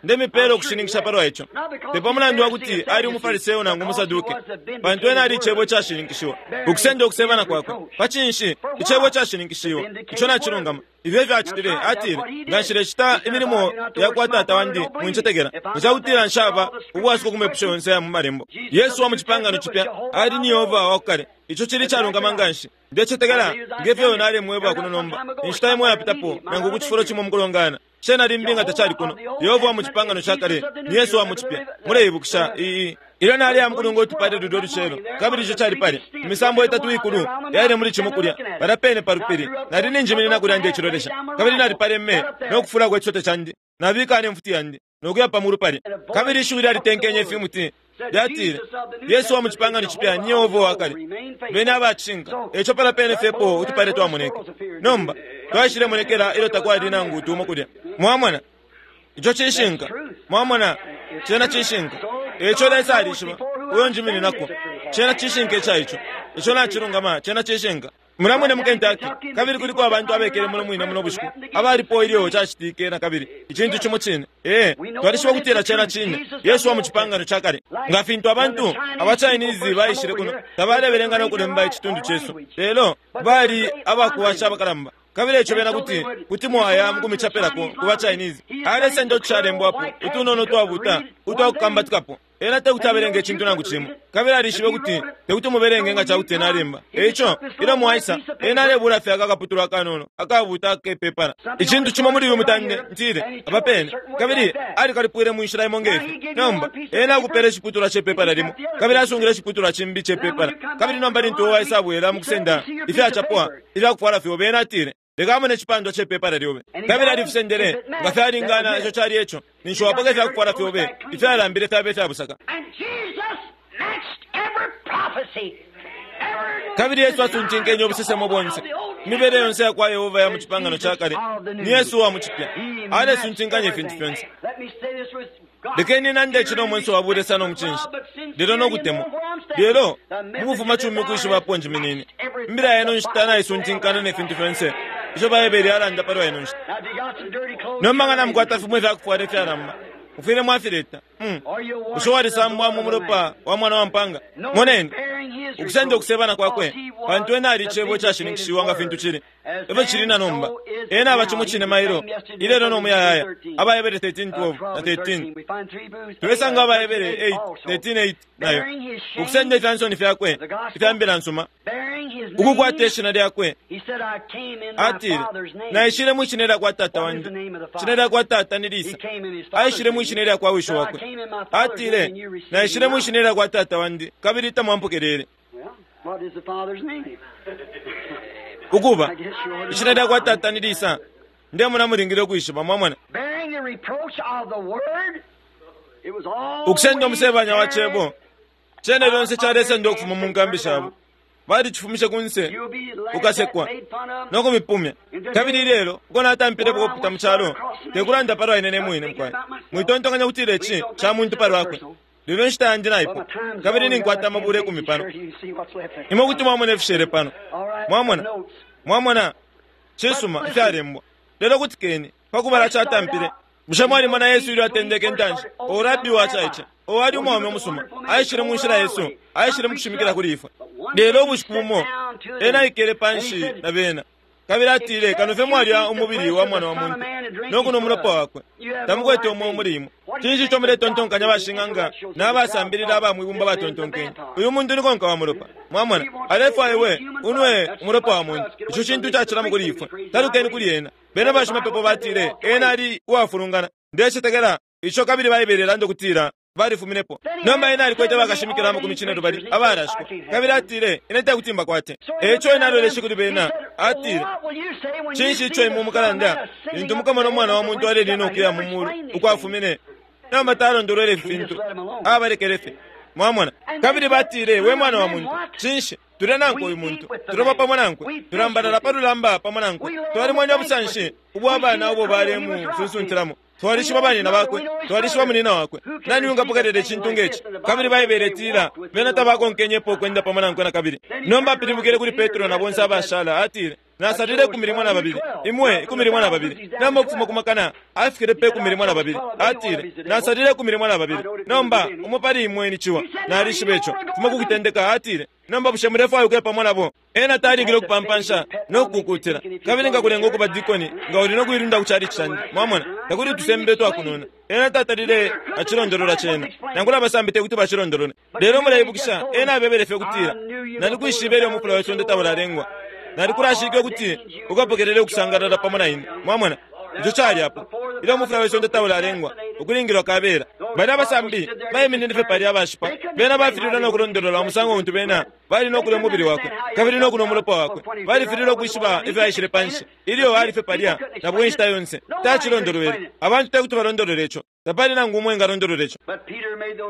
Ndemipela ukushininkisha palwa ico. Te pa mulandu wa kuti ali umufariseo nangu umusaduke, pantu ena ali icebo cashininkishiwa. Ukusenda ukusebana kwakwe. Pa cinshi icebo cashininkishiwa, ico nacilungama. Ifyo efyo acitile, atile, nga nshilecita imilimo ya kwa tata wandi mwincetekela, nga ca kutila nshaba ubwasuko ku mepusho yonse ya mu malembo. Yesu wa mu cipangano cipya ali ni Yehova wa ku kale. Ico cili calungama nga nshi. Ndecetekela ngefyo nalemweba kuno nomba, inshita imo yapitapo nangu ku cifulo cimo mukulongana. Cena limbi nga tacali kuno. Yehova wa mu cipangano ca kale ni Yesu wa mu cipya. Muleibukisha iyi. Ilyo nali amukulunga utupale lulyo lucelo, kabili ico cali pale. Imisambo itatu ikulu yaile muli cimo kulya, palya pene pa lupili. Nali ninjiminina kulya ndecilolesha, kabili nalipaleme no kufulako icisote candi. Nabika ne mfuti yandi nokuya pa mulu palya. Kabili ishiwi lyalitenkenye ifimuti lyatile, Yesu wa mu cipangano cipya ni Yehova wa kale. Bene abacinka, eco palya pene fyepo utupale twamoneke. Nomba twaishilemonekela ilyo takwali nangu utumo kulya. Mwamona, ico cishinka. Mwamona, cena cishinka. Eco Lesa alishiba, uyo njimininako. Cena cishinka ica ico. Ico nacilungama, cena cishinka. Mulamwene mu Kentucky, kabili kuliko abantu abekele muno mwine muno bushiku, abalipo ilyo cacitike na kabili, icintu cimo cine. Ee, twalishiba ukutila cena cine, Yesu wa mu cipangano ca kale. Nga fintu abantu aba Chinese baishile kuno, tabalebelenga no kulemba icitundu cesu, lelo bali abakuwasha abakalamba. Kabili eco bena kuti kuti mwaya mukumichapelako ku ba Chinese. Alesenda utushalembwapo, utunono twabuta, utwakukambatikapo. Ena tekuti abelenga icintu nangu cimo. Kabili alishibe kuti tekuti mubelenge nga cakuti ena alemba. Eico, ilyo mwaisa, ena alebula fye akakaputulwa akanono, akabuta akepepala. Icintu cimo muli uyu mutande, ntile, apa pene. Kabili alikalipwile mu nshila imo ngefi. Nomba, ena akupela iciputulwa cepepala limo, kabili asungile iciputulwa cimbi cepepala. Kabili nomba lintu uwaisa abwela mukusenda ifyacapwa, ifyakufwala fyobe, ena atile, leka amone icipandwa cepepala lyobe. Kabili alifisendele, nga fyalingana ico cali eco, ninshi wapoka ifyakufwala fyobe, ifyalambile fyabe ifyabusaka. And Jesus matched every prophecy. Every Kabili Yesu asuntinkenye ubusesemo bonse. Imibele yonse ya kwa Yehova ya mu cipangano ca kale, ni Yesu wa mu cipya. Alesuntinkanya ifintu fyonse. Let me say this with God. Lekeni nande cino mwenso wa bule sana omucinshi, lelo nokutemwa. Lelo, mukufuma cumi ukwishibapo njiminine. Imbila yenu nshita naisuntinkana ne fintu fyonse. Ico Baibele yalanda palwa ino nshita. Now, if you got some dirty clothes, Nomba nga namukwata fimwe ifyakufwala ifyalamba, mufwile mwafileta. Are you Bushe washed in the walisambwa blood mu of the mulopa Lamb? wa mwana wa mpanga? Moneni, Ukusenda ukusebana kwakwe, pantu ena ali Icebo icashininkishiwa nga fintu cili. Efyo cili na nomba. Ena aba cimo cine mailo, ilelo no muyayaya. AbaHebere 13:12 na 13. Tulesanga AbaHebere 8, 13:8 nayo. Ukusenda ifya nsoni fyakwe, ifya mbila nsuma, ukukwata ishina lyakwe. Atile, Naishile mwi shina lya kwa tata wandi. Shina lya kwa tata ni Lisa. Aishile mwi shina lya kwa wishi wakwe. Atile, Naishile mwi shina lya kwa tata wandi, kabili tamwampokelele. Ukuba, ishina lya kwa tata ni Lisa. Ndemona mulingile ukwishiba, mwamona. Ukusenda umusebanya wa cebo. Cene lyonse calesenda ukufuma mu nkambi shabo. Balicifumishe kunse, ukasekwa, no kumipumya. Kabili ilelo, uko natampilepo ukupita mu calo, tekulanda palwa ine ne mwine mukwai. Mwitontonkanya kutila ici ca muntu palwakwe. Lelo inshita yandi naipwa, kabili ninkwata amabula 10 pano. Imwe kuti mwamona ifishele pano. Mwamona? Mwamona? Cisuma, ifyalembwa. Lelo kutikeni, pakubala catampile. Bushe mwalimona Yesu ilyo atendeke intanshi? O rabi wacaice, o ali umwaume umusuma, aishile mu nshila yesu, aishile mu kushimikila kuli ifwe. Lelo ubushiku bumo, ena aikele panshi na bena. Kabili atile, kano fye mwalya umubili wa mwana wa muntu, no kunwa umulopa wakwe, tamukwete umweo muli imwe. Cinshi ico muletontonkanya bashing'anga n'abasambilila aba mwibumba batontonkenye? Uyu muntu ni konka wa mulopa. Mwamona, alefwaya iwe unwe umulopa wa muntu. Ico cintu cacilamo kuli ifwe. Talukeni kuli ena. Bena bashimapepo batile, ena ali uwafulungana. Ndecetekela ico kabili Baibele ilanda ukutila balifuminepo. Nomba ena alikwete bakashimikila amakumi cinelubali abalashikwa. Kabili atile, ine tekuti mbakwate. Eico ena aloleshe kuli bena, atile, cinshi ico imwe mukalanda lintu mukamona umwana wa muntu alelina ukuya mu mulu ukwafumine? Nomba talondolwele ifi fintu, abalekele fye. Mwamona? Kabili batile, we mwana wa muntu, cinshi tulya nankwe uyu muntu, tuloba pamo nankwe, tulambalala pa lulamba pamo nankwe, twalimwene ubusanshi ubwa bana ubo balemusunsuntilamo. Twalishiba banina bakwe, twalishiba munina wakwe. Nani ungapokelela icintu ngeci? Kabili Baibele itila, bena tabakonkenyepo ukwenda pamo nankwe na kabili. Nomba apilibukile kuli Petro na bonse abashala, atile, nasalile 12, imwe 12. Nomba ukufuma ku makana afikile pe 12. Atile, nasalile 12. Nomba umo pali imwe ni ciwa. Nalishiba ico. Fuma ku kutendeka, atile, nomba bushe mulefwaya ukuya pamo nabo? Ena talingile ukupampansha no kukukutila. Kabili ngakulenga ukuba dikoni, nga uli no kuilunda ku chalichi candi. Mwamona, takuli tusembe twakunona. Ena tatalile acilondolola cena. Nangula abasambi tekuti bacilondolole. Lelo muleibukisha, ena abebele fye ukutila, nalikwishiba ilyo umufula we sonde taulalengwa. Nalikulashike ukuti ukapokelele ukusangalala pamo na ine. Mwamona, ico cali apo. Ilyo umufula we sonde taulalengwa, ukulingilwa kabela. Bali abasambi baiminine fye palya abashipa. Bena bafililwe no kulondolola umusango untu bena bali no kulya umubili wakwe, kabili no kunwa umulopa wakwe. Balifililwe ukwishiba ifyo aishile panshi. Ilyo ali fye palya, na bwe inshita yonse, tacilondolwele. Abantu tekuti balondolole ico. Tapali nangu umwe engalondolola ico.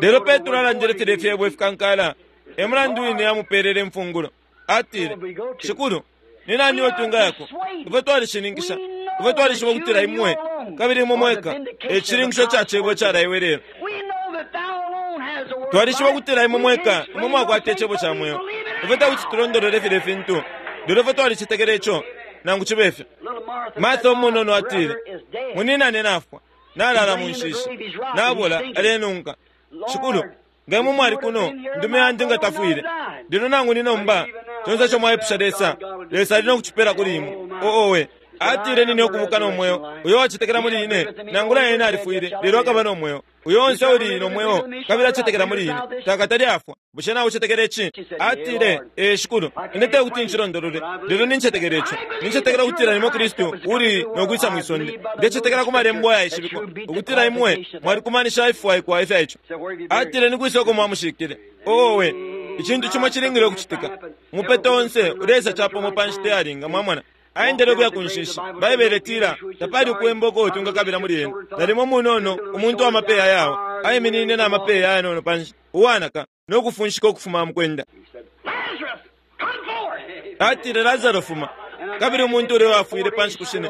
Lelo Petro alandile filya ifyebo ifikankala. E mulandu wine amupelele imfungulo. Atile, Shikulu, ni nani uyo twingayako? Ifwe twalishininkisha. Ifwe twalishiba ukutila imwe, kabili imwe mweka, e cishininkisho ca cebo icalaiwe lelo. Twalishiba ukutila imwe mweka, imwe mwakwata icebo ca mweo. Ifwe tekuti tulondolole filya fintu, lelo ifwe twalicetekela ico, nangu cibe fyo. Martha umunono atile, muninane nafwa, nalala mu nshishi, nabola, alenunka. Shikulu, nga imwe mwali kuno, ndume yandi nga tafwile. Lelo nangu ni nomba, conse ico mwaipusha Lesa, Lesa ali no kucipela kuli imwe. Owe, atile nine ukubuka no mweo. Uyo wacetekela muli ine, nangula ena alifwile, lelo akaba no mweo. Uyo onse uli no mweo, kabili acetekela muli ine, takatali afwa. Bushe nawe ucetekela ici? Atile, ee Shikulu, ine tekuti ncilondolole, lelo nincetekela ico. Nincetekela ukutila nimwe Kristu uli no kwisa mwi sonde. Ndecetekela ku malembo ayaishibikwa, ukutila imwe mwalikumanisha ififwaikwa ifya ico. Atile ni kwisa uko mwamushikile. Owe, icintu cimo cilingile ukucitika. Umupeto onse uleisa capamo pa nshita yalinga, mwamona. Aendele ukuya ku nshishi. Baibele itila, tapali ukuwemba uko twingakabila muli ena. Nalimo munono, umuntu wa mapeya yawo, aiminine na mapeya ayanono panshi, uwanaka, no kufunshika ukufuma mukwenda. Atile, Lazaro fuma. Kabili umuntu ulya wafwile panshi kushine,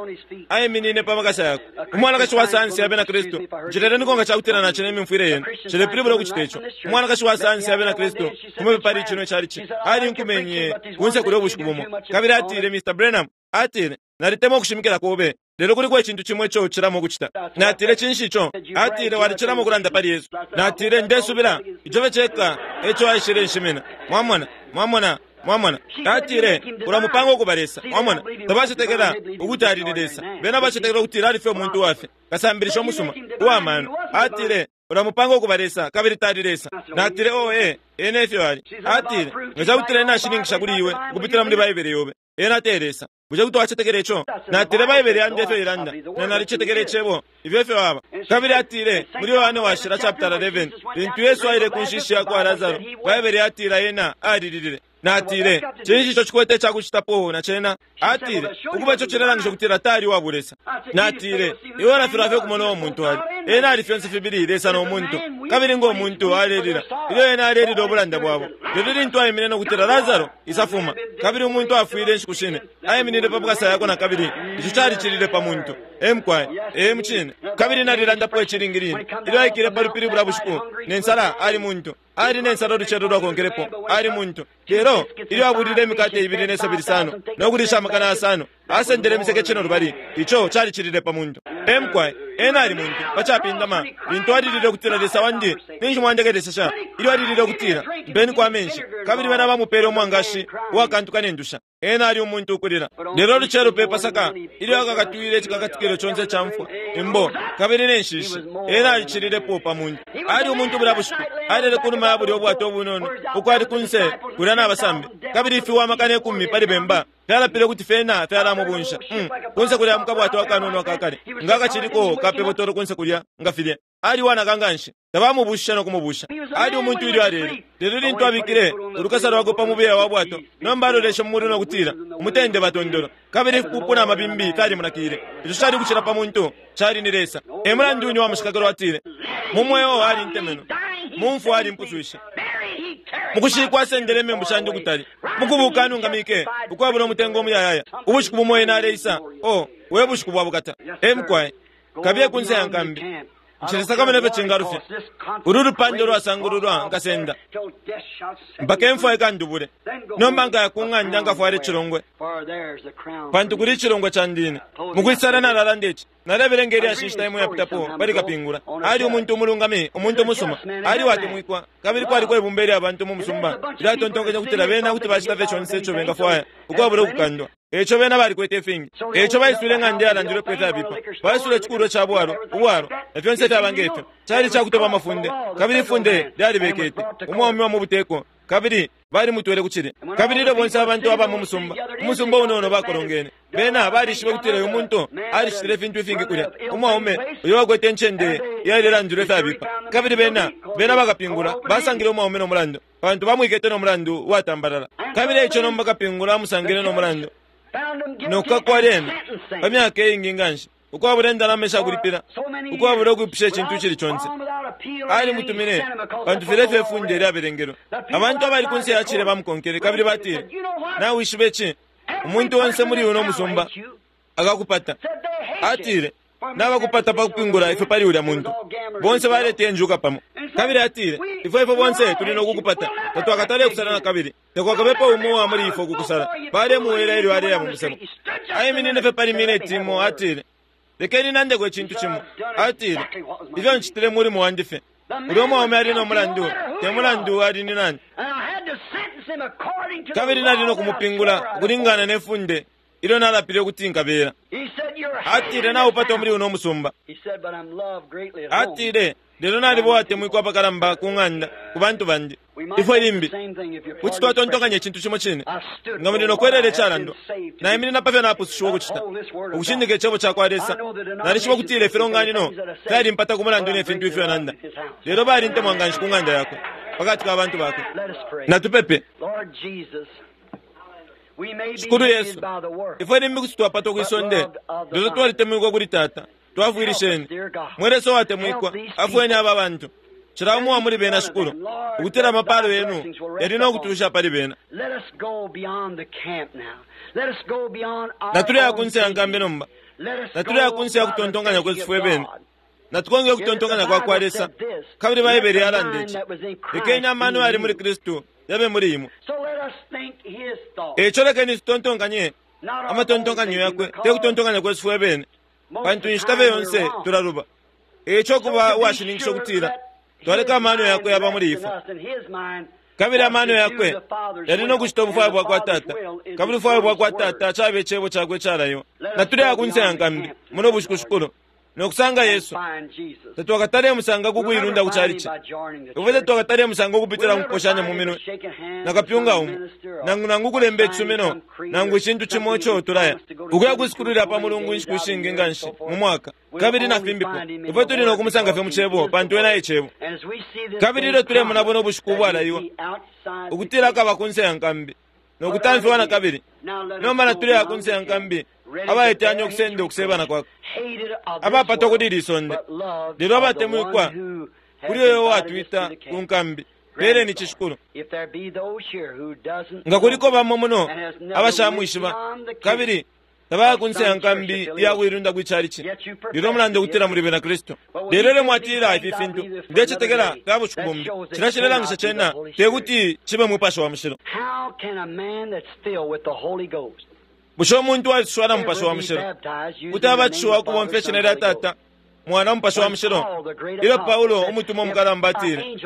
aiminine pa makasa yakwe. Umwanakashi wa sayansi abena Kristu, ncileleniko nga cakutila nacine imimfwile yenu. Cilepilibula ukucita ico. Umwanakashi wa sayansi abena Kristu, kumupe pali cino calici, alinkumenye kunse kulya ubushiku bumo. Kabili atile, Mr. Branham, atile, nalitemwa ukushimikila kobe. Lelo kuliko icintu cimo ico ucilamo ukucita. Natile, Cinshi ico? Atile, Walicilamo ukulanda pali Yesu. Natile, Ndesubila ico fye ceka eco aishile nshimina. Mwamona? Mwamona? Mwamona? Atile, Ulamupanga ukuba Lesa. Mwamona? Tabacetekela ukuti ali ni Lesa. Bena bacetekela ukutila ali fye umuntu uwafye, kasambilisha umusuma, uwa mano. Atile, Ulamupanga ukuba Lesa, kabili tali Lesa. Natile, Oh, ee, ena efyo ali. Atile, Nga cakutila ena ashininkisha kuli iwe ukupitila muli Baibele yobe, ena te Lesa. Bushe kuti wacetekela ico? Natile, Baibele yandi efyo ilanda, na nalicetekela Icebo. Ifyo efyo aba. Kabili atile, muli Yohane Washila chapitala 11, lintu Yesu aile ku nshishi yakwa Lasaro, Baibele yatila ena alililile. Natile, Cinshi ico cikwete icakucitapo na cena? Atile, Ukuba ico cilelangisha ukutila tali uwa bulesa. Natile, Iwe ulafilwa fye ukumona uo muntu ali. Ena ali fyonse fibili Lesa no muntu. Kabili ngo muntu alelila, ilyo ena alelila ubulanda bwabo. Lelo lintu aimine no kutila, Lasaro, isa fuma, kabili umuntu afwile inshiku shine, aiminine pa makasa yakwe na kabili, ico calicilile pa muntu. Ee, mukwai. Ee, mucine. Kabili nalilandapo ici ilingi line. Ilyo aikile pa lupili bulya bushiku, ne nsala, ali muntu. Ali ne nsala ulucelo lwakonkelepo, ali muntu. Lelo ilyo abulile imikate ibili ne sabi lisano, no kulisha amakana yasano, asendele imiseke cinelubali, ico calicilile pa muntu. Ee, mukwai. Ena ali muntu, pa capindama, lintu alilile ukutila, Lesa wandi, ninshi mwandekelesesha? Ilyo alilile ukutila, Mpeniko amenshi, kabili bena bamupele umwangashi uwakantuka ne ndusha. Ena ali umuntu ukulila. Lelo ulucelo pe Pasaka, ilyo akakatwile icikakatikilo conse ica mfwa, imbo, kabili ne nshishi, ena alicililepo pa muntu. Ali umuntu bulya bushiku, alele kunuma ya bulya ubwato ubunono, uko ali kunse kulya na basambi, kabili ifiwa amakana ikumi pali bemba fyalapile ukuti fyena fyalamubunsha. Mm, kunse kulya mu kabwato akanono aka kale, nga akaciliko ka pe botolo kunse kulya, nga filya. Ali uwanaka nganshi, tabamubushishe no kumubusha. Ali umuntu ilyo alele. Lelo lintu abikile ulukasa lwakwe pa mubeya wa bwato, nomba aloleshe mu mulu no kutila, Umutende ba tondolo. Kabili ifipupu na mabimbi fyalimunakile. Ico cali ukucila pa muntu, cali ni Lesa. E mulandu wine uwa mushikakalo atile, Mu mweo alintemenwe, mu mfwa alimpuswishe. Mu kushikwa asendele imembu shandi ukutali. Mu kubuuka anungamike, ukwabula umutengo umuyayaya. Ubushiku bumo ena aleisa. Oh, we bushiku bwa bukata. E mukwai, kabiye kunse ya nkambi. Nshilesakamana ifyo cingalufya. Ulu lupanda ulwasangululwa nkasenda mpaka imfwa ikandubule. Nomba nkaya ku ng'anda nkafwale icilongwe, pantu kuli icilongwe candi ine. Mukwisala nalalanda ici. Nalebelenga ilyashi inshita imo iyapitapo pali kapingula. Ali umuntu umulungami, umuntu umusuma. Ali uwatemwikwa, kabili kwaliko ibumba ilya bantu mu musumba ilyatontonkenye ukutila bena kuti bacita fye conse ico bengafwaya ukwabula ukukandwa. Eico bena balikwete ifingi. Eico baiswile ing'anda iyalandilwepo ifyabipa. Baiswile icikulwa ca bwalwa, ubwalwa, na fyonse ifyaba nge fyo. Cali ica kutoba amafunde, kabili ifunde lyalibekete. Umwaume wa mu buteko, kabili balimutwele ku cilye. Kabili ilyo bonse abantu aba mu musumba, umusumba unono bakolongene, bena balishibe ukutila uyu muntu alicitile ifintu ifingi kulya, umwaume uyo wakwete incende iyalelandilwa ifyabipa. Kabili bena, bena bakapingula basangile umwaume no mulandu, pantu bamwikete no mulandu uwatambalala. Kabili eico nomba kapingula amusangile no mulandu, no kukakwa lyena, pa myaka iingi nganshi, ukwabula indalama ishakulipila, ukwabula ukwipusha icintu icili conse. Alimutumine, pantu filya efyo ifunde lyabelengelwe. Abantu abali kunse ya cilye bamukonkele, kabili batile, Nawishiba ici? Umuntu onse muli uno musumba akakupata. Atile, Nabakupata pa kupingula ifwe pali ulya muntu. Bonse baleta injuka pamo. Kabili atile, Ifwe ifwe bonse tuli no kukupata. Tatwakatale kusala na kabili. Takwakabepo umo uwa muli ifwe ukukusala. Balemuwela ilyo aleya mu musebo. Aiminine fye pali mineti imo, atile, Lekeni nandeko icintu cimo. Atile, Ifyo ncitile mulimo wandi fye. Ulya mwaume ali no mulandu, te mulandu ali ni nani. Kabili nali no kumupingula ukulingana ne funde ilyo nalapile ukuti nkabela. Atile, Naupatwa muli uno musumba. Atile, Lelo naliba uwatemwikwa apakalamba ku ng'anda, ku bantu bandi. Ifwe limbi kuti twatontonkanya icintu cimo cine. Nga muli no kwelela icalandwa, naiminina pa fyo napusushiwa ukucita, ukushindika Icebo ca kwa Lesa. Nalishiba ukutila ifilonganino fyalimpata ku mulandu ne fintu ifyo nanda, lelo balintemwa nga nshi ku ng'anda yakwe, pa kati ka bantu bakwe. Natupepe. Shikulu Yesu, ifwe limbi kuti twapatwa kwi sonde, lelo twalitemwikwa kuli Tata. Twafwilisheni. Mwe Lesa uwatemwikwa, afweni aba bantu, cila umo uwa muli bena, Shikulu, ukutila amapalo Yenu yali no kutusha pali bena. Natuleya kunse ya nkambi nomba. Natuleya kunse ya kutontonkanya kwesu fwe bene. Natukonke ukutontonkanya kwa kwa Lesa. Kabili Baibele yalanda ici, Lekeni amano yali muli Kristu yabe muli imwe. E ico lekeni tutontonkanye amatontonkanyo yakwe, te kutontonkanya kwesu fwe bene. Pantu inshita fye yonse tulaluba. Eico kuba uwashininkisha ukutila twaleka amano yakwe yaba muli ifwe. Kabili amano yakwe yali no kucita ubufwayo bwa kwa Tata, kabili ubufwayo bwa kwa Tata caba Icebo Cakwe icalaiwa. Natuleya kunse ya nkambi muno bushiku, Shikulu, no kusanga Yesu. Tatwakatale musanga ku kuilunda ku chalichi. Ifwe tatwakatale musanga ukupitila mu kuposhanya mu minwe na kapyunga umo, nangu nangu ukulemba icisumino, nangu icintu cimo ico tulaya ukuya kusikulila pa Mulungu inshiku ishingi nganshi mu mwaka, kabili na fimbipo. Ifwe tuli no kumusanga fye mu Cebo, pantu ena e Cebo. Kabili ilyo tulemona buno bushiku ubwalaiwa ukutila akaba kunse ya nkambi no kutamfiwa na kabili, nomba natuleya kunse ya nkambi abaiteyanya ukusenda ukusebana kwakwe, abapatwa kuli ili isonde, lelo abatemwikwa kuli uyo uwatwita ku nkambi. Peleni ici, Shikulu. Nga kuliko bamo muno abashamwishiba kabili tabaya kunse ya nkambi iya kuilunda kwi chalichi, lelo mulanda ukutila muli bena Kristu, lelo ilyo mwatila ifi fintu, ndecetekela fya bushiku bumbi, cila cilelangisha cena te kuti cibe Mupashi wa Mushilo. Bushe umuntu walisuswa na Mupashi wa Mushilo kuti abatishiwa ukubomfya ishina lya Tata, Mwana, Mupashi wa Mushilo? Ilyo Paulo umutumwa umukalamba atile,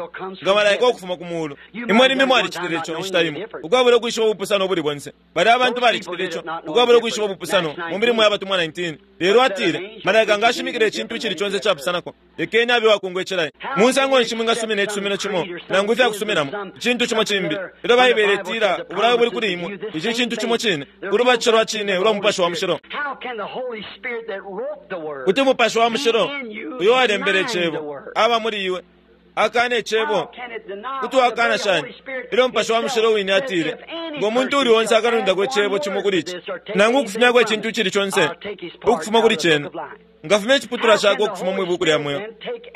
nga malaika ukufuma ku muulu, imwe limbi mwalicitile ico inshita imo ukwabula ukwishiba ubupusano ubuli bonse. Balya abantu balicitile ico ukwabula ukwishiba ubupusano mu milimo ya batumwa 19. Lelo atile, malaika nga ashimikila icintu icili conse icapusanako, lekeni abe uwakungwa icilayi. Musango nshi mwingasumina icisumino cimo nangu ifyakusuminamo icintu cimo cimbi, ilyo Baibele itila ubulayo buli kuli imwe ici cintu cimo cine, ulubatisho lwa cine ulwa Mupashi wa Mushilo? Kuti Mupashi wa Mushilo uyo walembele Icebo aba muli iwe akana Icebo? Kuti wakana shani ilyo Mupashi wa Mushilo wine atile, ngo muntu uli onse akalundako icebo cimo kuli ici, nangu ukufumyako icintu icili conse ukufuma kuli cena, ngafumya iciputulwa cakwe ukufuma mwi buku lya mweo?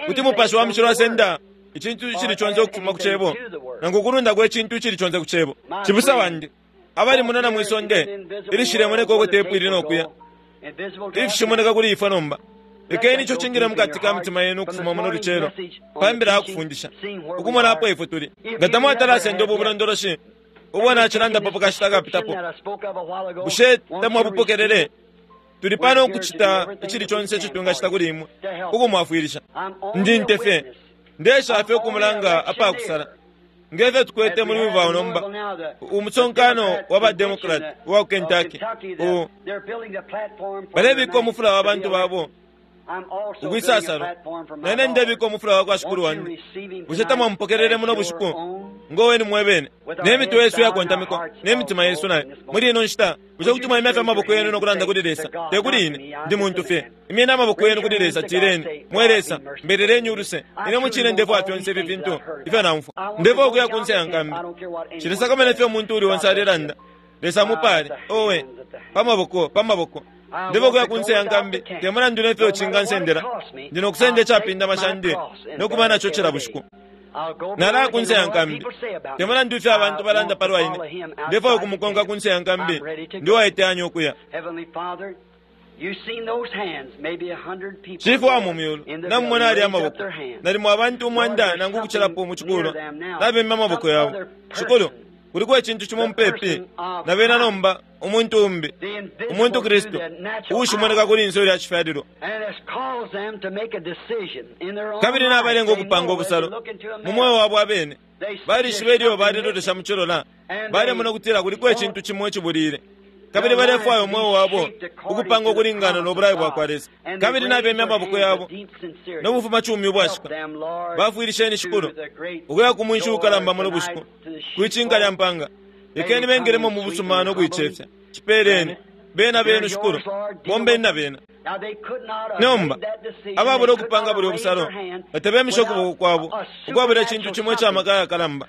Kuti Mupashi wa Mushilo asenda icintu icili conse ukufuma ku Cebo, nangu ukulundako icintu icili conse ku Cebo? Cibusa wandi, abali muno na mwi sonde ilishilemoneka uko tepu ili no kuya, ifishimoneka kuli ifwe nomba, lekeni ico cingile mukati ka mitima yenu ukufuma muno lucelo pa mbila ya kufundisha, ukumona apo ifwe tuli. Nga tamwatalasenda ubu bulondoloshi ubo nacilandapo pa kashita kapitapo, bushe tamwabupokelele? Tuli pano ukucita icili conse ico twingacita kuli imwe ukumwafwilisha. Ndi nte fye, ndesha fye ukumulanga apakusala. Ngefyo tukwete muli Louisville nomba, umusonkano wa ba Democrat uwa ku Kentucky, balebika umufula wa bantu babo ukwisasalo, nene ndebika umufula wa kwa Shikulu wandi. Bushe tamwamupokelele muno bushiku ngo weni mwebene, ne mitwe yesu yakontamikwa ne mitima yesu nayo muli ino nshita? Bushe kuti mwaimya fye amaboko yenu no kulanda kuli Lesa? Te kuli ine, ndi muntu fye. Imyeni amaboko yenu kuli Lesa, tileni, mwe Lesa, mbeleleni uluse. Ine mucine ndefwaya fyonse ifi fintu ifyo naumfwa. Ndefwaya ukuya kunse ya nkambi. Nshilesakamana ifyo umuntu uli onse alelanda. Lesa mupale. Owe, pa maboko, pa maboko. Ndefwaya ukuya kunse ya nkambi, te mulandu nefyo cingansendela. Ndi no kusenda icapindama candi no kuba naco cila bushiku. Nalaya kunse ya nkambi, te mulandu ifyo abantu balanda palwa ine. Ndefwaya ukumukonka kunse ya nkambi. Ndi uwaiteyanya ukuya. Shifwe wa mu myulu, namumona alya amaboko, nalimo abantu 100 nangu ukucilapo mu cikulwa nabemya amaboko yabo. Shikulu, kuliko icintu cimo mupepi na bena nomba, umuntu umbi, umuntu Kristu, uushimoneka kuli inso lya cifyalilwa, kabili nabalenga ukupanga ubusalo mu mweo wabo abene. Balishiba ilyo balelolesha mu cilola, balemona ukutila kuliko icintu cimo icibulile, kabili balefwaya umweo wabo ukupanga ukulingana no bulayo bwa kwa Lesa, kabili nabemya amaboko yabo no bufumacumi ubwashika. Bafwilisheni, Shikulu, ukuya ku mwinshi ukalamba muno bushiku kwicinka lya mpanga. Lekeni bengelemo mu busuma no kuicefya. Cipeleni bena benu, Shikulu, bombeni na bena. Nomba ababula ukupanga bulya ubusalo batabemisha ukuboko kwabo ukwabula icintu cimo ica maka yakalamba.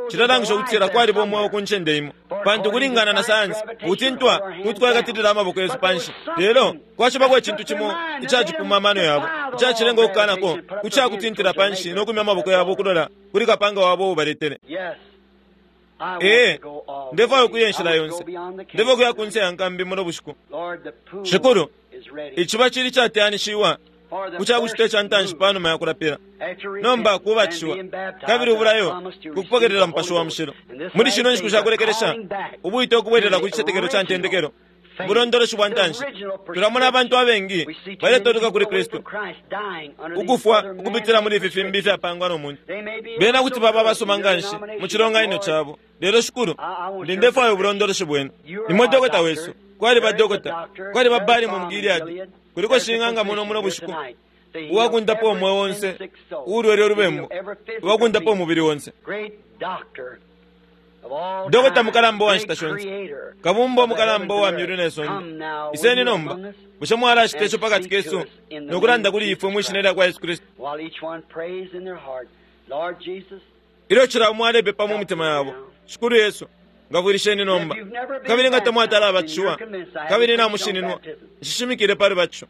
Cilalangisha ukutila kwaliba umweo ku ncende imo, pantu kulingana na sayansi ukutintwa kuti kwakatilila amaboko yesu panshi, lelo kwacibako icintu cimo icacipuma amano yabo, icacilenga ukukanako kucakutintila panshi no kumya amaboko yabo ukulola kuli kapanga wabo uubaletele. Ee, ndefwaya ukuya inshila yonse. Ndefwaya ukuya kunse ya nkambi muno bushiku. Shikulu, iciba cili cateyanishiwa ku cakucita ica ntanshi panuma ya kulapila, nomba kubatishiwa, kabili ubulayo kukupokelela Mupashi wa Mushilo. Muli shino nshiku shakulekelesha, ubwite ukubwelela ku citetekelo ca ntendekelo. Ubulondoloshi bwa ntanshi, tulamona abantu abengi baletoluka kuli Kristu, ukufwa ukupitila muli ifi fimbi ifyapangwa no muntu. Bena kuti baba abasuma nganshi mu cilonganino cabo, lelo Shikulu, ndi ndefwaya ubulondoloshi bwenu. Nimwe dokota wesu. Kwaliba dokota, kwaliba Balimu mu Gileadi, kuliko shing'anga muno muno bushiku uwakundapa umweo onse uulwele ulubembu, uwakundapa umubili onse. Dokota mukalamba uwa nshita shonse, kabumba umukalamba uwa myulu ne sonde, iseni nomba, bushe mwalacita ico pakati kesu no kulanda kuli ifwe mwi shina lya kwa Yesu Kristu? Ilyo cila umo alepepa mu mitima yabo, Shikulu Yesu, ngafwilisheni nomba. Kabili nga tamwatala abatishiwa, kabili namushininwa, nshishimikile pali batisho.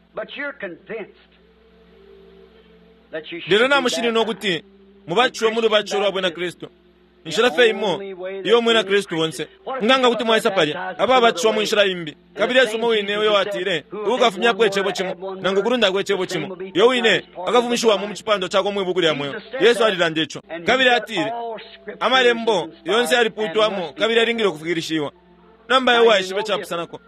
Lelo namushininwa ukuti mubatishiwe mu lubatisho lwa bwina Kristu. Inshila fye imo iyo umwina Kristu onse nga nga kuti mwaisa palya ababatishiwa mu nshila imbi. Kabili Yesu umo wine uyo atile, uukafumyapo icebo cimo nangu kulundako icebo cimo, yo wine akafumishiwamo mu cipandwa cakwe mwi buku lya mweo. Yesu alilanda ico. Kabili atile, amalembo yonse yalipuutwamo kabili yalingile ukufikilishiwa. Nomba iwe waishiba icapusanako.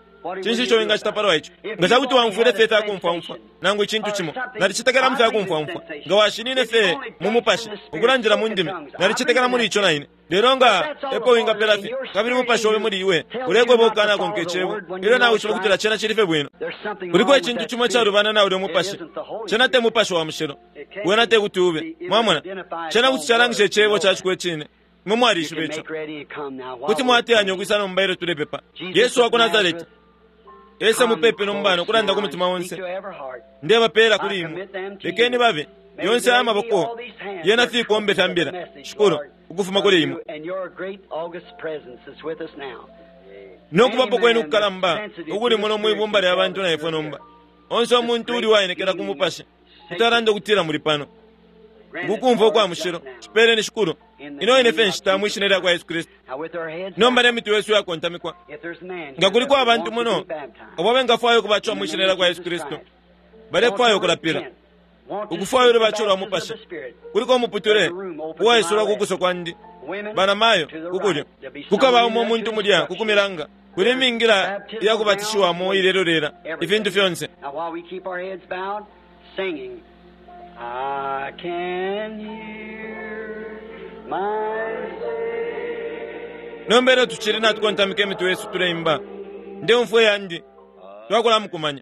Cinshi ico wingacita palwa ico? Nga ca kuti waumfwile fye ifya kumfwaumfwa nangu icintu cimo, nalicetekela mu fya kumfwaumfwa. Nga washinine fye mu mupashi, ukulandila mu ndimi, nalicetekela muli ico na ine. Lelo nga epo wingapela fye, kabili umupashi obe muli iwe ulekweba ukukanakonka icebo, ilyo nawishiba ukutila cena cili fye bwino. Kuliko icintu cimo icalubana na ulya mupashi. Cena te Mupashi wa Mushilo. Wena te kuti ube. Mwamona? Cena kuti calangisha icebo ca ciko icine. Imwe mwalishiba ico. Kuti mwateyanya ukwisa nomba ilyo tulepepa. Yesu wa ku Nazareti, ese mupepi nomba no kulanda ku mutima onse. Ndebapela kuli imwe. Lekeni babe yonse aya maboko yena fikombe fya mbila, Shikulu, ukufuma kuli imwe. No kubapo kwenu kukalamba ukuli muno mwibumba lya bantu na ifwe nomba. Onse umuntu uli waenekela ku mupashi kuti alanda ukutila muli pano. Ukukumfwa ukwa mushilo, cipeleni Shikulu. Ino ine fye nshita mwi shina lya kwa Yesu Kristu. Nomba ne mitwe yesu yakontamikwa. Nga kuliko abantu muno abo bengafwaya ukubatishiwa mwi shina lya kwa Yesu Kristu, balefwaya ukulapila, ukufwaya ulubatisho lwa mupashi, kuliko umuputule uwaisulwa ku kuso kwandi, banamayo ku kulyo. Kukaba umo umuntu mulya ku kumilanga, kuli imingila ya kubatishiwamo ilelolela, ifintu fyonse. I can hear my Nomba ilyo tucili natukontamika imitwe yesu tuleimba, ndeumfwa iyandi, twakulamukumanya.